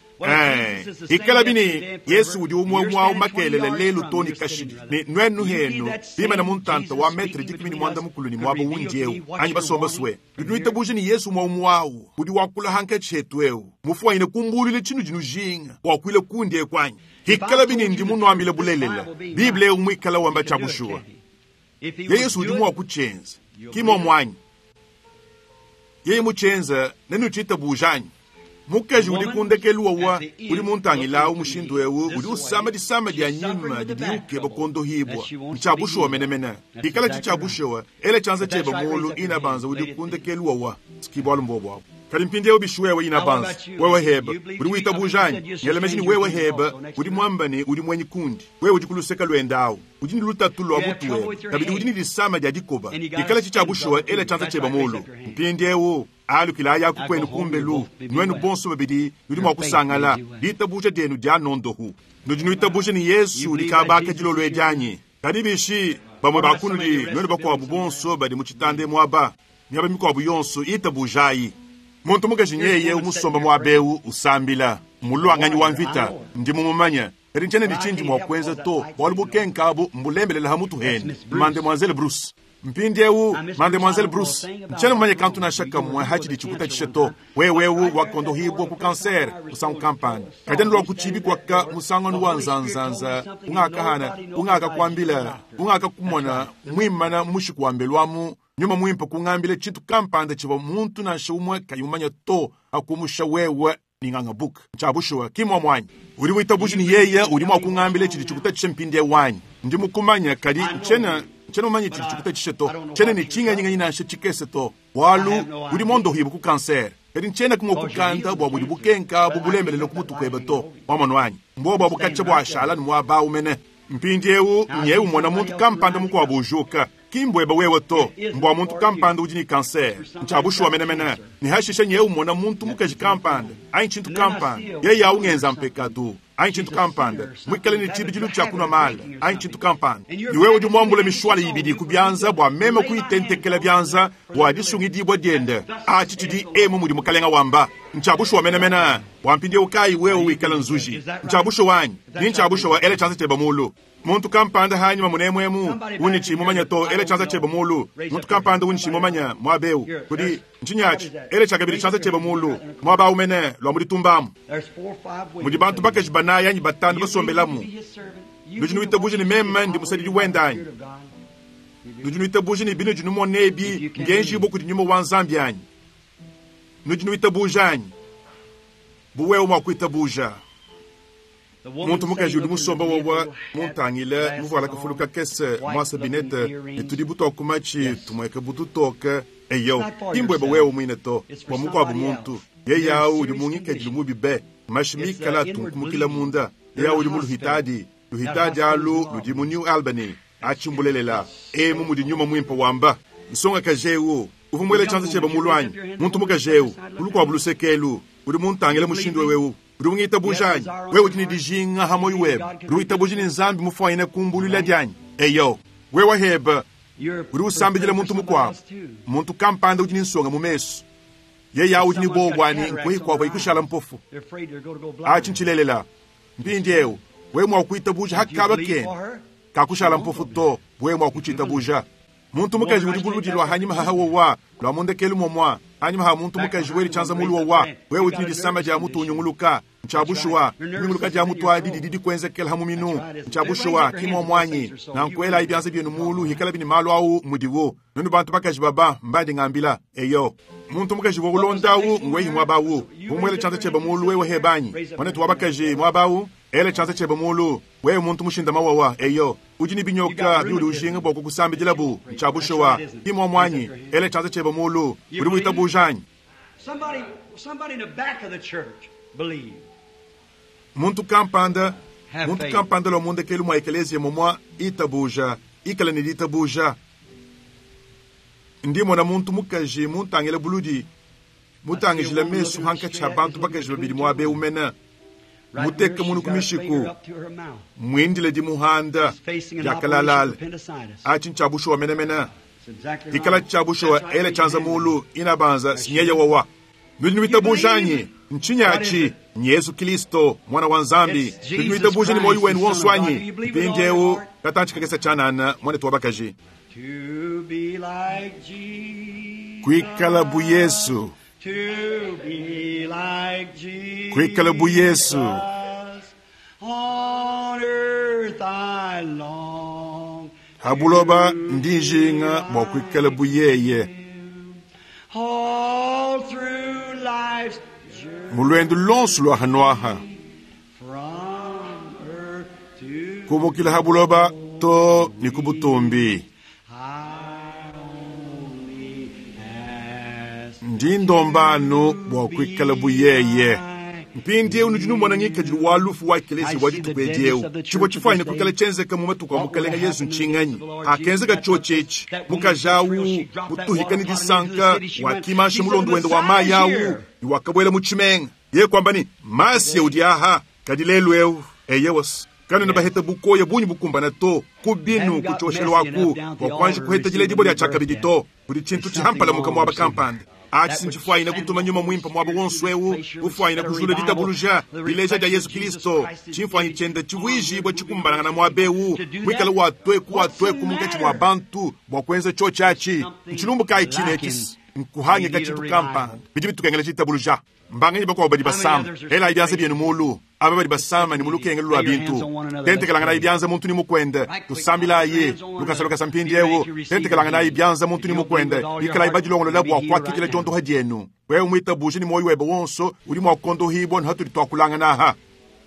Ikalabi ne Yesu udi umue umue au makelela lelu too ne kashidi, ne nuenu henu bimana mu ntanta wa metre 30 ne muaba undi eu anyi basomba sue. Nudi nuitabuja ne Yesu umue umue au udi wakula hankatshi hetu eu mufuanyine kumbulule tshinudi nujinga wakuile kundi eku anyi? Ikalabi ne ndi munuambile bulelela, Bible eu muikala wamba tshia bushuwa. Ye Yesu udi mua kutshienza, ki muomu anyi? Yeye mutshienza nenutshiitabuja anyi? Mukaji udi ku ndekelu wawa udi muntangilawu mushindu eu udi usama disama dia nyima didi ukeba kuondohibwa. Ntshia bushuwa menemene. Ikala tshitshia bushuwa, ela tshianza tshiebe mulu ina banza udi ku ndekelu wawa. Ki bualu mbobu abu. Kadi mpindieu bishi wewe ina banza, wewe heba, udi witabuja anyi? Ngela meji ne wewe heba udi muamba ne udi muenyi kundi. Wewe udi ku luseke luende awu. Udi ne lutatu lua mutu webe. Kabidi udi ne disama dia dikoba. Ikala tshitshia bushuwa, ela tshianza tshiebe mulu. Mpindieu alukila yaku kwenu kumbelu, nuenu bonso babidi nudi mua kusangala ditabuja dienu dia nondohu. Nudi nuitabuja ne Yesu udi kabaka dilolo edi anyi? Kadi bishi bamue ba kunudi nuenu bakuabu bonso badi mu tshitanda muaba, miaba mikuabu yonso itabujayi. Muntu mukaji nyeye umusomba muaba eu usambila, muluanganyi wa mvita, ndi mumumanye. Kadi ntshiena ne tshindi mua kuenza to, bualu bukenka abu mbulembelela ha mutu hende. Mademoiselle Bruce. Mpindieu Mademoiselle Bruce, ntshiena mumanye kantu nansha kamue hatshidi tshikutatshisha to. Wewe eu wakondohibwa ku kanser musangu kampanda. Kadi anu lua ku tshibi kwaka musangano wa nzanzanza ungakahana, ungakakuambila, ungakakumona muimana mushiku wa mbelu amu nyuma muimpe kungambila tshintu kampanda tshivua muntu nansha umue kayi mumanye to akumusha wewe ninganga buka. Ntshia bushuwa ki muomu anyi? Udi witabuja ne yeye udi mua kungambila tshidi tshikutatshisha mpindieu anyi? Ndi mukumanya, kadi ntshiena ntshiena mumanye tshidi tshikutatshisha to. Ntshiena ne tshinganyinganyi nansha tshikese to, bualu udi mondohibwa ku kanser. Kadi ntshiena kumua kukanda bua budi bukenka bu bulembelela ku mutu kuebe to. Wamonu anyi? Mbuobu abu katshia buashala ne muaba awu mene. Mpindieu nye umona muntu kampanda mukuabu ujuka. Ki mbuebe wewe to, mbua muntu kampanda udi ne kanser. Ntshia bushuwa menemene. Ne hashisha nye umona muntu mukaji kampanda anyi tshintu kampanda, yeye au ngenza mpekatu anyi tshintu kampanda, muikale ne tshibidilu tshia kunua mala anyi tshintu kampanda. Ne wewe udi muambule mishwala ibidi ku bianza bua meme kuyitentekela bianza bua disungidibua diende. Atshi tshidi emu mudi mukalenga wamba. Ntshia bushuwa menemene. Bua mpindieu kayi wewe wikala nzuji. Ntshia bushuwa anyi? Ni ntshia bushuwa, ela tshianza tshiebe mulu. Muntu kampanda hanyima munemuemu undi tshi mumanya to, ela tshianza tshiebe mulu. Muntu kampanda undi tshi mumanya muaba eu kudi ntshinyi atshi? Ela tshiakabidi tshianza tshiebe mulu muaba au mene lua mu ditumbamu. Mudi bantu bakaji banayi anyi batanu basombelamu. Nudi nuitabuja ne meme ndi musadidi wende anyi? Nudi nuitabuja ne binudi numona ebi ngenjibua kudi nyuma wa Nzambi anyi? Nudi nuitabuja anyi? Bu wewe mua kuitabuja. Muntu mukaji udi musomba wawa muntangile muvuala kafulu kakese muasa binete ne tudi butoka ku matshi tumueke bututoke. Eyo, ki mbuebe wewe muine to, bua mukuabu muntu. Yeye au udi mungikadilu mubi be, mashi mikala atunkumukila munda. Yeye au udi mu luhitadi, luhitadi alu ludi mu New Albany. Atshi mbulelela, emu mudi nyuma muimpe wamba. Nsongakaji eu uvua muele tshianza tshiebe mulu anyi? Muntu mukaji eu ku lukuabu luseke elu udi muntangile mushindu eu. Udi ungitabuja anyi? Wewe udi ne dijinga ha muoyo webe. Udi witabuja ne Nzambi mufuanyine kumbulula dianyi? Eyo, wewe hebe udi usambidila muntu mukuabu. Muntu kampanda udi ne nsonga mu mesu. Yeye au udi ne buowa ne nkuyi kuabu ikushala mpofu. Atshi ntshilelela. Mpindieu wewe mua kuitabuja hakaba kene kakushala mpofu to, wewe mua kutshitabuja. Muntu mukaji udi buludi lua hanyima haha wowa lua mundekelu momua hanyima ha muntu mukaji weli tshianza mulu wowa. Wewe udi ne disama dia mutu unyunguluka. Ntshia bushuwa dinyunguluka dia mutu adi didi dikuenzekela ha muminu. Ntshia bushuwa ki muomu anyi? Nankuelayi bianza bienu mulu hikala bini malu au mudiwu. Nuenu bantu bakaji baba mbandi ngambila. Eyo, muntu mukaji wa ulondawu ngwehi muaba awu. Umuele tshianza tshiebe mulu wewe hebanyi. Mwanetu wa bakaji muaba awu, ela tshianza tshiebe mulu. Wewe muntu mushinda mawawa. Eyo, udi ne binyoka biudi ujinga bua kukusambidila bu. Ntshia bushuwa ki muomu anyi? Ela tshianza tshiebe mulu. Udi witabuja anyi? Somebody, somebody in the back of the church believe. Muntu kampanda, Have muntu faith. kampanda lua mundekelu mua ekeleziya momua itabuja, ikala ne ditabuja. Ndi mona muntu mukaji muntangile buludi, mutangijile mesu hankatshi ha bantu bakaji babidi muaba eu mene. Right Muteke here, munu she's ku got her mishiku. finger up to her mouth. Mwindile dimuhanda She's facing an dia operation kalalala. for appendicitis. Atshi ntshia bushuwa menemene. It's exactly Ikala right. tshia bushuwa That's right. ela Raise your tshianza hand. mulu inabanza sinyeya wawa. Nudi nuitabuja anyi? Ntshinyi atshi? Yezu Kilisto, Mwana wa Nzambi. Tudi tuitabuja ne muoyo wenu wonso anyi? Mpindieu katantshi kakese tshianana, muanetu wa bakaji. To be like Jesus. Kuikala bu Yesu. To be like Jesus. Kuikala bu Yesu. On earth I long. Ha buloba ndi njinga bua kuikala bu yeye. All through life's journey. Mu luendu lonso lua hanuaha. From earth to Kumukila ha buloba to ni ku butumbi. I only ask Ndi ndombanu bua kuikala bu yeye. Mpindieu nudi numona ngikadilu wa lufu wa ekelezia wa dituku edi tshivua tshifuanyine kuikala tshienzeka mu matuku a mukalenga Yesu ntshinganyi akenzeka tshiotshi etshi mukaji awu mutuhika ni disanka wakimansha mulondo wende wa mayi awu ni wakabuela mu tshimenga ye kwamba ni masiya udi aha kadi lelu eu eye wasi kanena baheta bukoya bunyi bukumbana to ku binu ku tshioshelu aku bua kuanji kuheta diledibo dia tshiakabidi to kudi tshintu tshihampala muka muaba kampanda achi sinchifuanyina kutuma nyuma mwimpa mwaba wonso ewu ufuanyina kujula ditabuluja dileja dia Yesu Kristo chimfuanyi chenda chivuijibwa chikumbanangana mwaba ewu mwikala watweku watweku munkatshi mwa bantu bua kuenza tshiotshi achi nchilumbu kayi chine etshi nkuhangika tshintu kampanda bidi bitukengela ditabuluja mbanganyi bakuabo badi basama elayi bianza bienu mulu aba badi basama ni mulukengelo lua bintu tentekelanganayi bianza muntu ni mukwende tusambilayi lukasa lukasa mpindiewu tentekelanganayi bianza muntu ni mukwende ikalayi badilongolola bua kuakidila diondoha dienu wewe muitabuje ni moyo webe wonso udi mua kukondohibua nuhatudi tuakulangana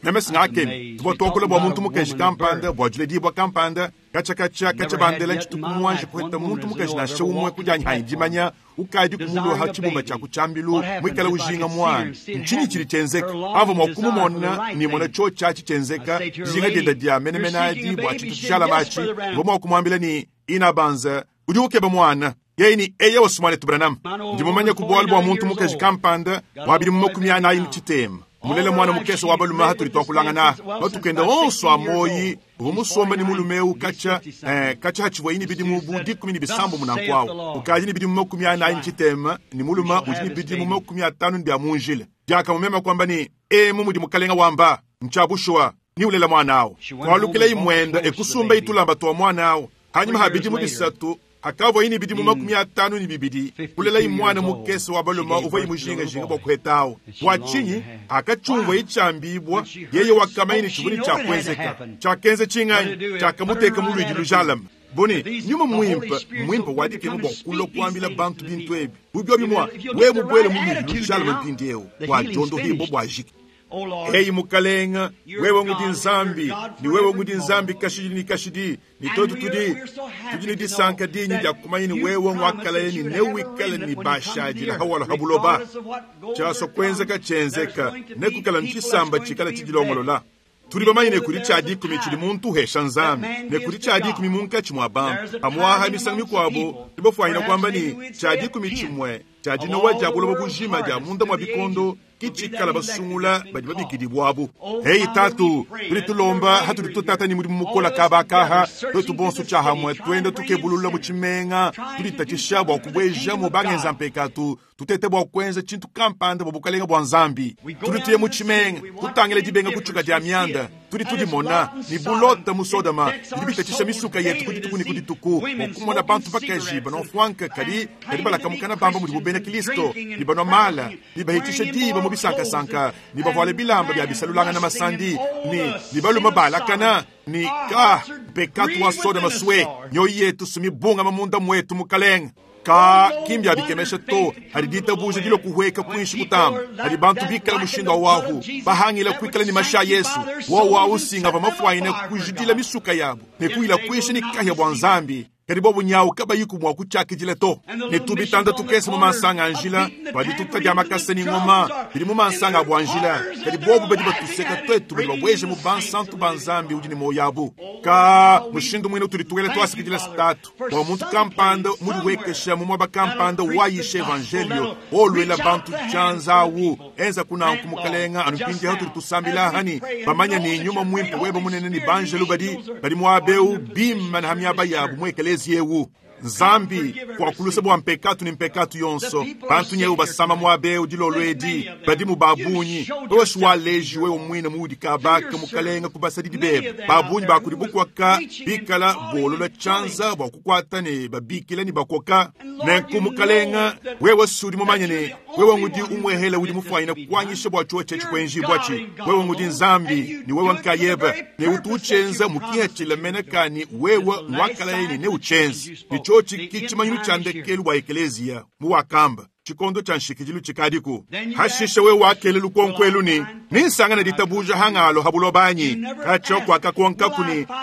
meme singakemi tuvua tuakula bua muntu mukaji kampanda bua diledibua kampanda katsha katsha bandela ntshituku muanji kuheta muntu mukaji nansha umue kudianyi hanyi dimanya ukadi kumuluha tshibumba tshia kutshambilu muikala ujinga mwana ntshinyi tshidi tshienzeka ava mua kumumona ni mona tsho tshiatshi tshienzeka dijinga dienda dia menemene adi bua tshintu tshijalama atshi uvua mua kumuambila ni inabanza udi ukeba mwana yeye ni eye wasumane tubranam ndi mumanya ku bualu bua muntu mukaji kampanda wa bidimu makumi anayi ni tshitema mulela mwana mukese wa balume hatuli twakulangana batukenda onso amoyi uvua musomba ni mulume eu katsha katsha hatshivua ini bidimu bu dikumi ni bisambo munanku awu ukaji ni bidimu 40 ni tshitema ni mulume udi ni bidimu 50 ni bia munjila diakamumema kwamba ni emu mudi mukalenga wamba ntshabushuwa ni ulela mwana awu kwalukila imwenda ekusumba itulamba twa mwana awu hanyuma ha bidimu bisatu akavua ini bidimu 52 kulela imwana mukese wa balume uvua imujingajinga bua kuhetawu bua tshinyi akatshumvua itshambibua yeye wakamaini tshivuni tshiakuenzeka tshiakenza tshinganyi tshiakamuteka mu luidi lujalama boni nyuma mwimpa mwimpa wadikema bua kulua kuambila bantu bintu ebi bubiobi mua wewe mubuele mu luidi lujalama mpindiewu bua diondohibua bua jiki Eyi mukalenga wewe ngudi nzambi ni wewe ngudi nzambi kashidi ni kashidi ni toto tudi tudi ni disanka dinyi dia kumanya ni wewe ngwakalale ni newikale ni bashadila hawala habuloba tshiaso kuenzeka tshienzeka nekukala ntshisamba tshikala tshidilongolola tuli bamanyine kudi tshia dikumi tshidi muntu uhesha nzambi ne kudi tshia dikumi munkatshi mua bantu pamuaha misangu mikuabo tubafuanyina kwamba ni tshia dikumi tshimue tshia dinowa dia buloba bujima dia munda mua bikondo kitshikala basungula badi babikidibwabu heyi tatu tuli tulomba hatuli tutata ni mudimu mukola kabakaha twetu bonso tshiahamwe twende tukebulula mu tshimenga tulitatshisha bua kubueja mu bangenza mpekatu tutete bua kuenza tshintu kampanda bua bukalenga bua nzambi tudi tuye mu tshimenga tutangile dibenga kutshuka dia mianda tudi tudimona ni bulota mu sodoma bidi bitatshisha misuka yetu kudituku ni kudituku bua kumona bantu bakaji banofwanka kadi kadi balakamukana bamba mudi bubena kristo ni banwa mala ni bahitisha diba mu bisankasanka ni bavuale bilamba bia bisalulangana masandi ni ni baluma balakana ni ka mpekatu wa sodoma swe nyoyi yetu sumibunga mamunda mwetu mukalenga ka kimbya bikemesha to hadi ditabuja dilo kuhweka kuinshi kutamba hadi bantu bikala mushindu awahu bahangila kuikala ni masha Yesu wowa usinga vamafuaine kujidila misuka yabo ne kuila kuishi ni kahya bwa nzambi kadi bobu nyawu kabayiku mua kutshiakidila to ne tubitanda tukese mu mansanga a njila badi tuta makasa ni ngoma bidi mu mansanga a bua njila kadi bobu badi batuseka twetu badi babueja mu bansantu ba nzambi udi ne moyo abu ka mushindu muine utudi tuwele tuasikidila sitatu bua muntu kampanda mudi wekesha mu muaba kampanda wayisha evangelio olwela bantu tshianza awu enza kunanku mukalenga anu mpindieu tudi tusambila hani bamanya ni nyuma mwimpe weba munene ni banjelu badi badi muaba eu bima na hamiaba yabu mu ekelezi yewu. Nzambi kuakulusa bua mpekatu ne mpekatu yonso. Bantu nyewu basama muaba eu dilolo edi badimu ba bungi. Wewe waleji wewe mwine muudi kabaka mukalenga kubasadidi bebe. Ba bungi ba kudi bukwaka bikala bolola tshianza bua kukuata ne babikila ne bakoka. Nenku mukalenga wewe sudi mumanye ne wewe ngudi umwehela udi mufuanyina kuanyisha bua chuo chechi kwenjibwa chi. Wewe ngudi Nzambi ni wewe nkayeba ne utu uchenza mukihatshila menakani wewe nwakalaye ne uchenza. Ni chochi kichimanyilu cha ndekelu wa ekelezia muwakamba chikondo cha nshikijilu chikadiku. Hashisha wewe wakele lukonkwelu ni ninsangana ditabuja hangalo habulobanyi kacho kwakakonka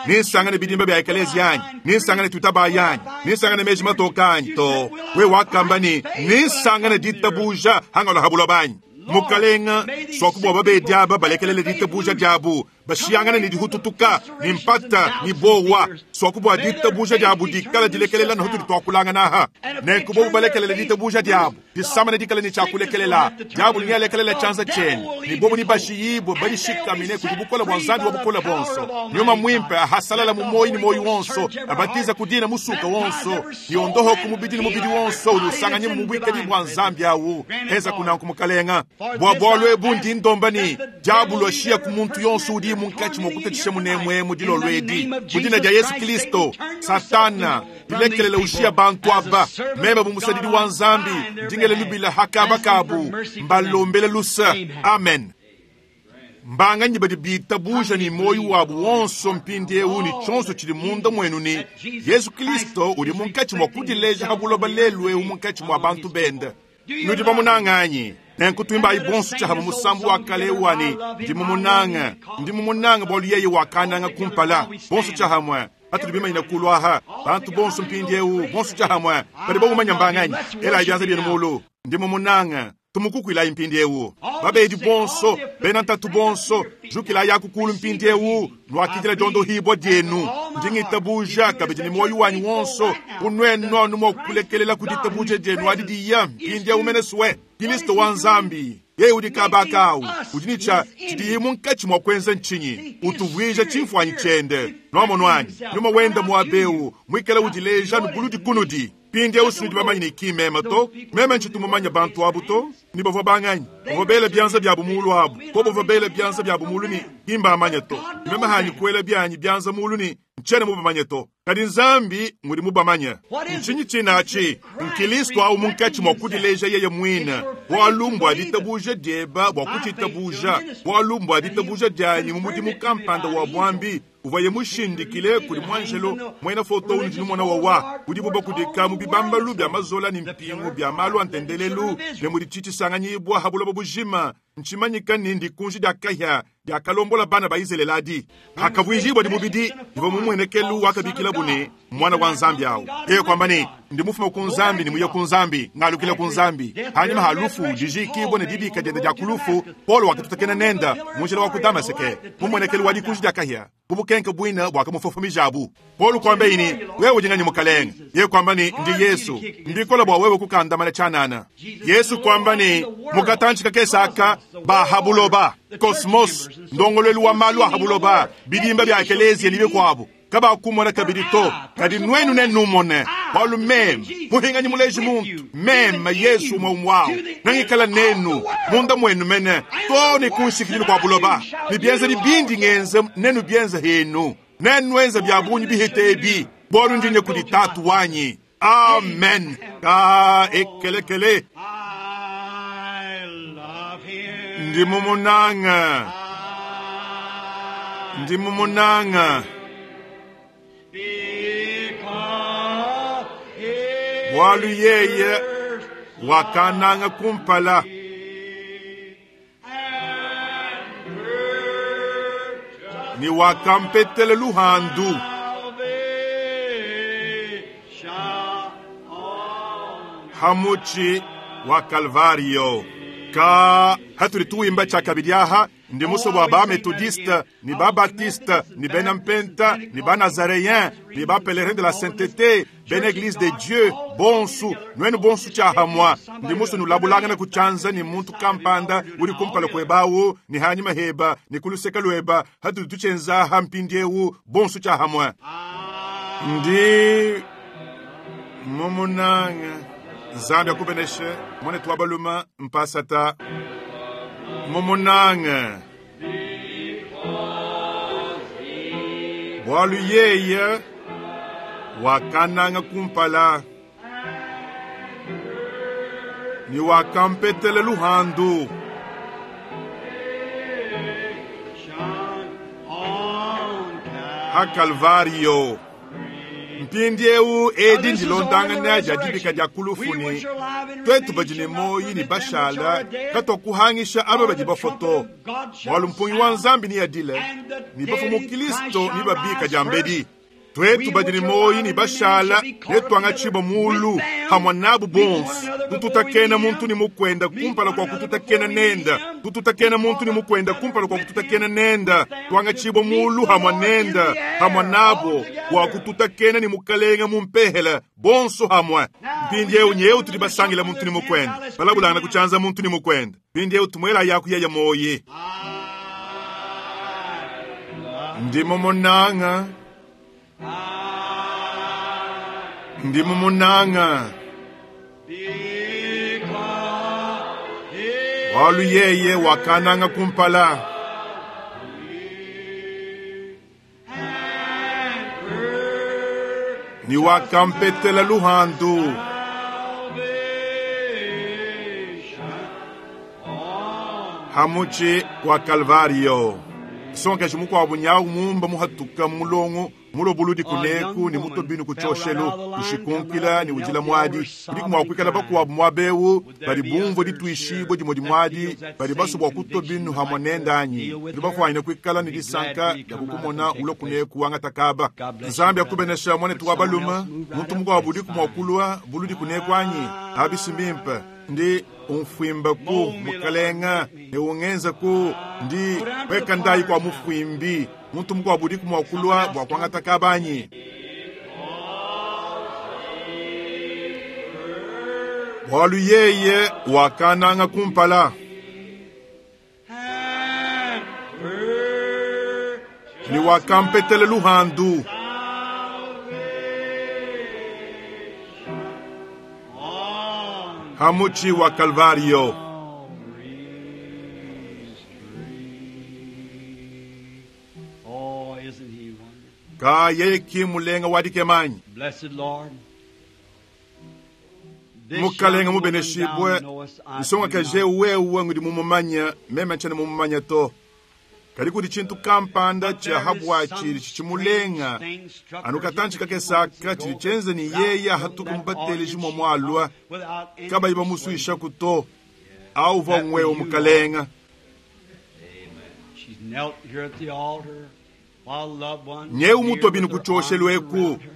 ninsangana bidimba bya ekelezia yanyi ninsangana tutaba yanyi ninsangana meji matokanyi to wewe wakamba ni ninsangana ditabuja hangalo habulobanyi. Mukalenga swakubo babedi aba balekelele ditabuja dyabu bashiyangana ni dihututuka ni mpata ni bowa swakubo ditabuja dyabu dikala dilekelela na hutuli twakulanga naha nenkubo balekelele ditabuja dyabu disamana dikala ni chakulekelela dyabu linyalekelela chanza cheni ni bobu ni bashiyibo balishikamine kudibukola bwa nzambi wa bukola bonso nyuma mwimpe ahasalala mu moyi ni moyi wonso abatiza kudina musuka wonso yondoho kumubidi ni mubidi wonso ulusanganye mu bwikadi bwa nzambi awu heza kunanku mukalenga bwa bwalwe bundi ndombani dyabu lwashiya ku muntu yonso udi munkachi mokutatisha munemwe mudilo lwedi mudina dia Yesu Kristo. Satana dilekelele ushiya bantu aba mema bumusadidi wa nzambi ndingele lubila hakaba kabu mbalombele lusa. Amen. Mbanganyi badi bitabuja ni moyo wabu wonso mpindi eu ni chonso chili munda mwenu ni Yesu Kristo uli munkachi mwa kudileja habuloba lelu eu munkachi mwa bantu benda. Nudi bamunanganyi nenkutuimba ibonso chahaba musambu wa kale wani ndimumunanga ndimumunanga bwalu yeye wakananga kumpala bonso chahamwe atuli bimanyina kulwaha bantu bonso mpindi eu bonso chahamwe badi bamumanya mbanganyi ela ibyanza byenu mulu ndimumunanga tumukukwila impindi eu babedi bonso benantatu bonso jukila yakukulu mpindi eu nwakidila diondo hibwa dienu ndingitabuja kabidi ni moyo wanyu wonso unwenu numokulekelela kuditabuja dienu adidiya mpindi eu meneswe Kristo wa nzambi yeye udi kabakau udinicha chidiyi munkachi mwa kwenza nchinyi utuvwija chimfwanyi chende nwamonwanyi nyuma wenda mwabeu mwikala udileja nubuludi kunudi pindi eu bamanyi ni kimema to meme nchitumumanya bantu abu to ni bavua banganyi bavua bela byanza byabu mulu abu ko bavua bela byanza byabu mulu ni kimbamanya to meme hanyi kuela byanyi byanza mulu ni nchene mubamanya to kadi nzambi ngudi mubamanya nchinyi chinachi nkilisto au munkachi mwa kudileja yeye mwina bwalu ditabuja dyeba bwa kuchitabuja bwalu ditabuja dyanyi mumudimu kampanda wa bwambi uvaye mushindikile kuli mwanjelo mwena foto unu jinu mwana wawa udi buba kudika mu bibambalu bya mazola ni mpingu bya malu antendelelu ne mudi chichisanganyiibwa habuloba bujima nchimanyika nindi kunji dya kahya dya kalombola bana ba Izeleladi hakavwijibwa dimubidi diva mumwenekelu wakabikila bune mwana wa nzambi awo yeye kwamba ni ndimufuma ku nzambi nimuye ku nzambi ngalukila ku nzambi hanyuma halufu dijikibwa ne dibika dyenda dya kulufu Paulo wakatutakena nenda munjila wa ku Damaseke mumwenekelu wa dikunji dya kahya bubukenke bwina bwakamufofomijabu Paulo kwamba ini wewe ujingani mukalenga yeye kwamba ni ndi Yesu ndikola bwa wewe kukandamana chanana Yesu kwamba ni mukatanchika kesaka bahabuloba kosmos ndongolelu wa malu ahabuloba bidimba bya ekelezia nibe kwabo kaba kumona kabidi to kadi nwenu nenumone Paulo meme muhinganyi muleji muntu meme Yesu mwaumwao nangikala nenu munda mwenu mene to ni kunshikililu kwa buloba ni byenza bibindi ngenze nenu byenza henu nenwenza bya bunyi bihite ebi bolu ndinye kudi tatu wanyi. Amen. Ka ekelekele ndimumunanga ndimumunanga bwalu yeye wakananga kumpala ni wakampetele luhandu hamuchi wa Kalvario ka hatuli tuimba cha kabidi aha ndi muso bwa ba methodiste ni ba baptiste ni benampenta ni ba nazaréen ni ba pèlerin de la sainteté ben église de Dieu bonsu nwenu bonsu chahamwa ndi muso nulabulangana kuchanza ni muntu kampanda uli kumpala kwebawu ni hanyuma heba ni kuluseka lweba hatuli tuchenza hampindiewu bonsu chahamwa ndi Mumunanga Nzambi akubeneshe mwanetu wa baluma mpasata mumunanga bwalu yeye wakananga kumpala ni wakampetele luhandu ha Kalvario. Mpindiewu edi ndilondangana dia dibika dia kulufuni twetu badi ne moyi ne bashala katwakuhangisha aba badi bafoto bwalu mpungi wa nzambi ni yadile ni bafa mu kristo ni babika dia mbedi twetu badi ne moyi ni bashala netwanga mulu hamwa nabu bonso tututakena muntu ni mukwenda kumpala kwa kututakena nenda tututakena muntu ni mukwenda kumpala kwa kututakena nenda twanga chibwa mulu hamwa nenda hamwa nabo kwa kututakena ni mukalenga mumpehela bonso hamwa mpindiewu nyeu tudi basangila muntu ni mukwenda balabulangana kuchanza muntu ni mukwenda mpindiewu tumwela yaku yeya moyi ndimo munanga ndimo munanga walu yeye wakananga kumpala ni wakampetela luhandu hamuchi kwa Kalvario sonkeshi mukwabo nyawu mumba muhatuka mulongo mulobuludi kuneku ni mutobinu kuchoshelo kushikunkila ni ujila mwadi kudi kumwakwikala bakuwabu mwabewu bali bumvo ditwishibwe dimo dimwadi bali basobwa kutobinu hamwa nendanyi ndi bafwanyine kwikala ni disanka ya kukumona ulo kuneku wangatakaba nzambi akubenesha mwanetu wa baluma muntu mukuwabu udi kumwakulwa buludi kuneku anyi abisimbimpe ndi umfwimba ku mukalenga ne ungenza ku ndi weka ndayi kwa mufwimbi muntu mukuwabu udi kumwakulwa bwa kwangata kabanyi bwalu yeye wakananga kumpala ni wakampetele luhandu hamuchi wa Kalvario. Oh, isn't he wonderful? Ka yeye kimulenga wadikemanyi Blessed Lord. This mukalenga young woman mubeneshibwe thou knowest I nsonga do kaje not. wewe ngudi mumumanya meme nchene mumumanya to kali kudi chintu kampanda cha habwa chili chichimulenga anu katanchi kakesaka chili chenze ni yeye hatuka mubatele jimwa mwalwa kabayi bamuswisha kuto auva ngwewo mukalenga She's knelt here at the altar while loved ones Nyewu kneel mutobinu with their kuchoshelwa arms eku. around her,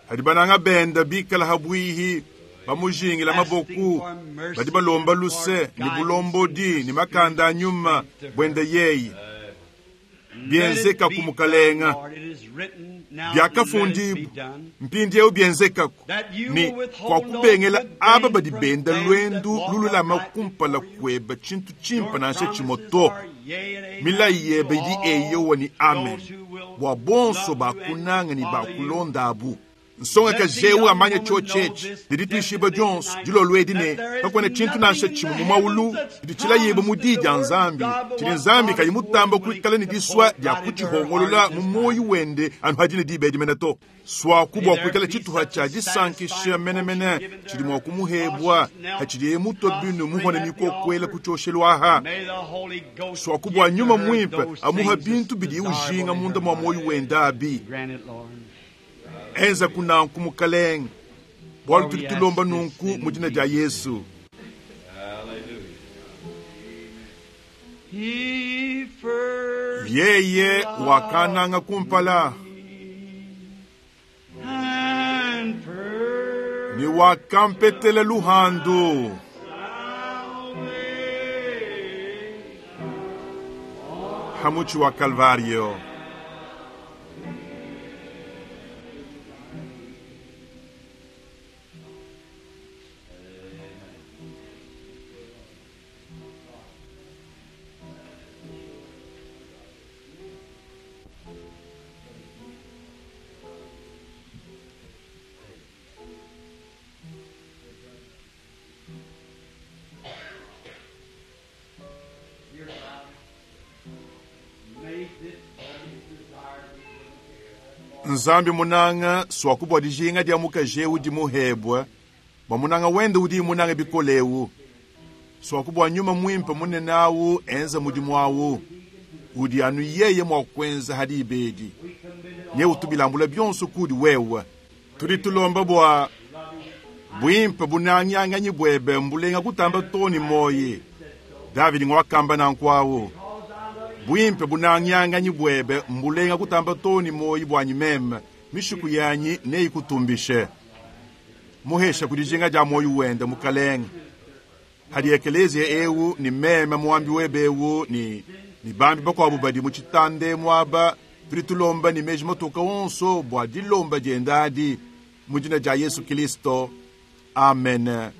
hadi bananga benda bikala habwihi bamujingila maboku badi balomba luse ni bulombodi ni makanda anyuma bwende yeyi Let it byenzeka be ku mukalenga done, Lord. It is written now, let it byakafundibwa be done. mpindiewu byenzekaku That you ni will withhold kwa no kubengela good aba thing badi from benda them that lwendu walk lululama upright kumpala before you. kweba chintu chimpa Your nansha promises chimoto are yea and amen milayi to yebe idi all eyowa ni amen those who will bwa bonso love you and bakunanga ni follow you. bakulonda abu nsonga Let ka the jewu young amanya woman cho know chechi this didi twishiba definitely jonso tonight, dilolo edi ne that there is kakwena chintu nansha nothing in chimwe the mu maulu heavens that's didi chilayiba mu promised di in the dia Word of nzambi God, but chili what nzambi God kayi is mutamba willing kuikala ni to diswa pour dia right into her kuchihongolola heart mu this moyi time. wende anu hadine diba edimene to swaku May bwa there kuikala be chituha such cha a disankisha satisfying menemene portion given to chili her mwa while kumuhebwa she's knelt hachiliye muto binu muhone prostrate at the nikokwela altar. kuchoshelwaha May the Holy Ghost swakubwa give to nyuma her mwimpe those amuha things bintu that's bidi desirable ujinga in munda her mwa heart. moyi wenda abi Grant it, Lord. enza kunanku mukalenga bwalu For tuli we tulomba ask this nunku in mu dina dia Jesus' yesu He first yeye loved wakananga kumpala and first ni wakampetele luhandu hamuchi wa Kalvario. Nzambi munanga swaku bua dijinga dia mukaji eu dimuhebua bua munanga wende udi munanga bikole eu swaku bua nyuma muimpe munene awu enza mudimu awu udi anu yeye mua kuenza hadi ibedi nye utubilambula bionso kudi wewe tudi tulomba bua bwimpe bunangianganyi bwebe mbulenga kutamba toni moyi Davidi ngwakamba nankwawu bwimpe bunangianganyi bwebe mbulenga kutamba toni moyi bwanyi meme mishiku yanyi neikutumbishe muhesha kudijinga dia moyi wende mukalenge hadi ekelezia eu ni meme muambi webe eu ni ni bambi bakuabu badi mu tshitande muaba tudi tulomba ni meji matoka onso bua dilomba dienda adi mu dina dia Yesu Kristo amen.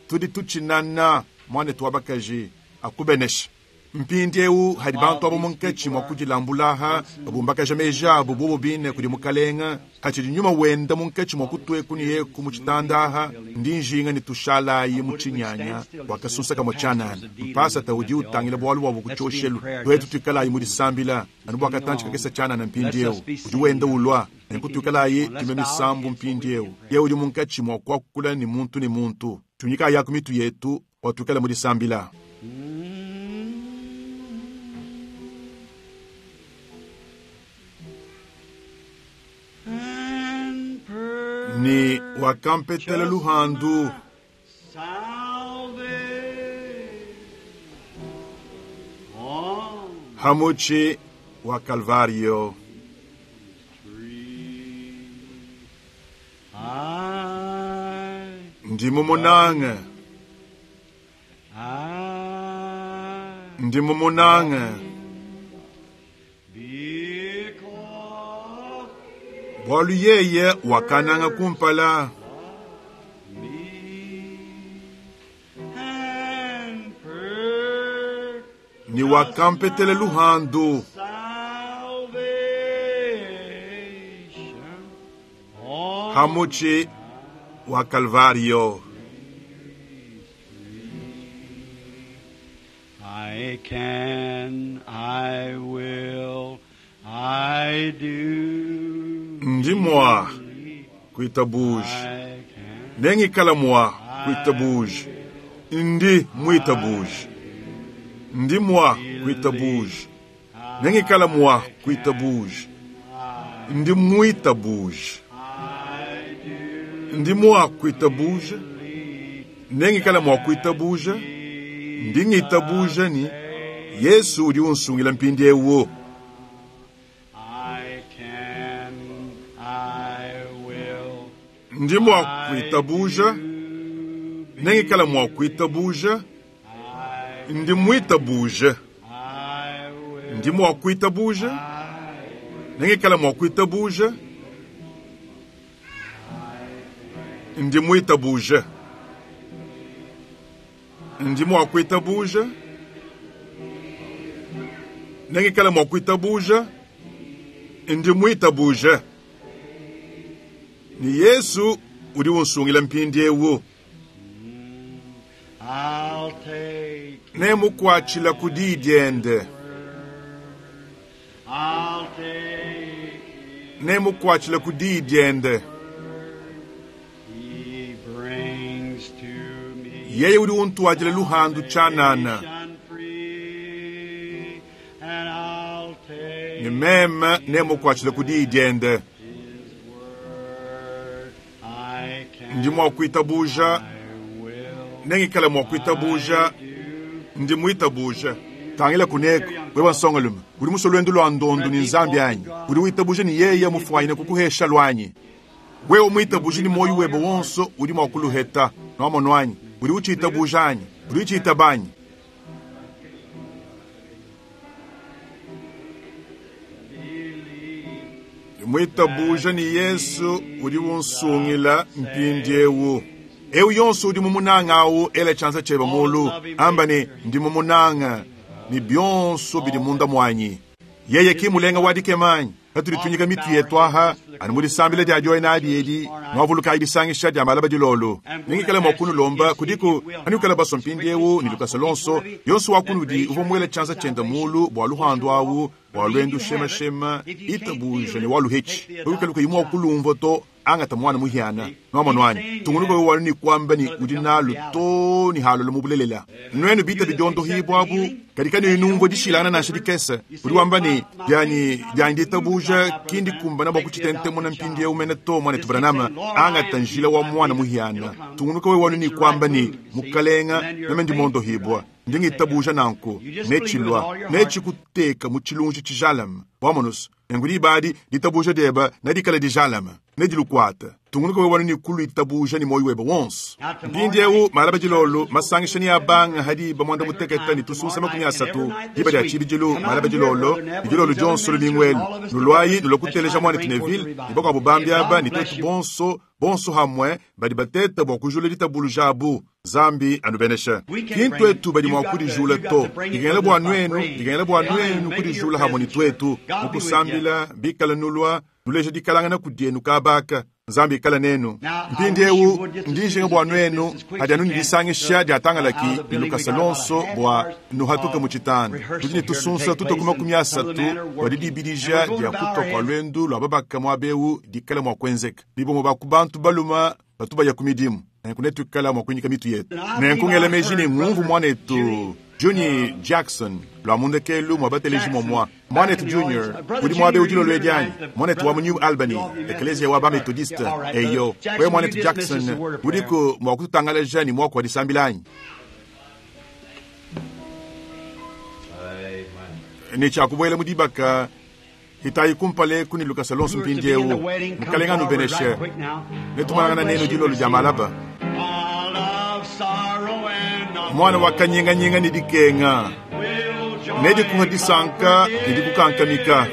Tudi tutshinana mwanetu wa bakaji akubenesha mpindi eu hadi bantu abo munkatshi mua kudilambulaha babumbakaja meji abo bobo bine kudi mukalenga hatshidi nyuma wenda munkatshi mua kutweku ni yeku mu tshitandaha ndi njinga ni tushalayi mu tshinyanya wakasunsa kamwe tshianana mpasata udi utangila bualu bwabo ku tshioshelu twetu tuikalayi mu disambila anu bwakatanshi kakesa tshianana mpindi eu udi wenda ulwa nenku tuikalayi tume misambu mpindi eu ye udi munkatshi mua kuakula ni muntu ni muntu tunyika yaku mitu yetu watuikala mu disambila. Ni wakampetela luhandu hamuchi wa Kalvario. Ndi mumunanga, ndi mumunanga bwalu yeye wakananga kumpala ni wakampetela luhandu hamuchi wa Kalvario. I can, I will, I do. Ndi mwa kuitabuja I can, nengikala mwa kuitabuja ndi mwitabuja ndi mwa kuitabuja nengikala mwa kuitabuja ndi mwitabuja I do ndi mwa kuitabuja nengikala mwa kuitabuja ndi ngitabuja ni Yesu udi unsungila mpindi ewo I can, I will. ndi mwa kuitabuja nengikala mwa kuitabuja I, ndi mwitabuja I will. ndi mwa kuitabuja nengikala mwa kuitabuja ndi mwitabuja ndi mwa kuitabuja nengikala mwa kuitabuja ndi mwitabuja ni Yesu udi unsungila mpindi ewo I'll take, nemukwatshila ku diyi diende I'll take. nemukwatshila ku diyi diende He brings to me yeye udi untuadila luhandu tshianana salvation free, and I'll take ni meme nemukwatshila ku diyi diende His word. I can, ndi mua kuitabuja I will, nengikala mua kuitabuja I do. ndi muitabuja tangila kuneko wewe nsongalume udi muso lwendo lwa ndondu ni nzambi anyi udi witabuja ni yeye mufwanyine kukuhesha lwanyi wewe mwitabuja ni moyo webe wonso udi mua kuluheta noamono anyi udi uchiitabuja anyi udi uchiitaba anyi mwitabuja ni Yesu udi unsungila mpindi ewu ewu yonso udi mumunanga awu ela tshianza tshiebe mulu amba ni ndi mumunanga ni bionso bidi munda mwanyi. Yeye ki mulenga wa dikema anyi? Patudi tuinyika mitu yetu aha, anu mu disambila dia dioyo nadi edi, nuavulukayi disangisha dia malaba dilolo. Nengikale mua kunulomba kudiku anuikale basua mpindieu ne lukasa luonso, yonso wa kunudi uvua muele tshianza tshiende mulu bua luhandu awu bua luendu shemashema itabuja ne waluhetshi. Wikale kuyi mua kulumvua to, angata mwana muhiana. Nuamonu anyi? Tungunuka wewe wanu ni kuamba ni udi nalu to ni halolo mu bulelela. Nuenu bita bidiondohibwa abu, kadi kanuyi numvua dishilangana nansha dikese. Udi wamba ni dianyi dianyi ditabuja kindi kumbana bua kutshitentemuna mpindieu mene to mwanetu Branham, angata njila wa mwana muhiana. Tungunuka wewe wanu ni kuamba ni mukalenga meme ndi mondohibwa. Ndi ngitabuja nanku netshilua netshikuteka mu tshilunji tshijalame. Wamonusu nenku diba adi ditabuja diebe nedikale dijalame nedilukuata. Tungunuka wewe wanu ni kuluitabuja ni moyo webe wonso. Mpindieu malaba dilolo masangisha ni abanga hadi ba mwanda muteketa ni tusunsa 30 diba dia tshibidilu malaba dilolo ni dilolo dionso lumingwelu nulwayi nulokuteleja mwanetu Neville ni bakuabu bambi aba ni tetu bonso bonso hamwe badi bateta bua kujula ditabuluja abu. Zambi anubenesha. Kintu etu badi mua kudijula to. Dikengela bua nuenu, dikengela bua nuenu kudijula hamwe ni twetu. Mukusambila bikala nulua nuleja dikalangana kudienu kabaka. Nzambi ikala nenu. Mpindieu ndijinga bua nuenu hadi anu nidisangisha diatangalaki ni lukasa lonso bua nuhatuke mu tshitanda. Tudi ne tusunsa tutoku 30 bua didibidija dia kutua kua luendu lua babaka muaba eu dikala mua kuenzeka. Bibombo ba ku bantu baluma batu baya ku midimu. Nenku netuikala mua kuinyika mitu yetu. Nenku ngela meji ne ngumvu muanetu Junior Jackson lua mundekelu mua bateleji momua. Mwanetu Junior udi muaba eu dilolo edi anyi? Mwanetu wa mu New Albany, ekleziya wa ba Methodiste. Eyo, wewe mwanetu Jackson udiku mua kututangalaja ni muaku wa disambila anyi? Ne tshiakubuela mu dibaka hitayi kumpale kuni lukasa lonso mpindieu. Mukalenga anubeneshe. Netumonangana nenu dilolo dia malaba. Mwana wa kanyinganyinga ne dikenga nedikuha disanka ne dikukankamika.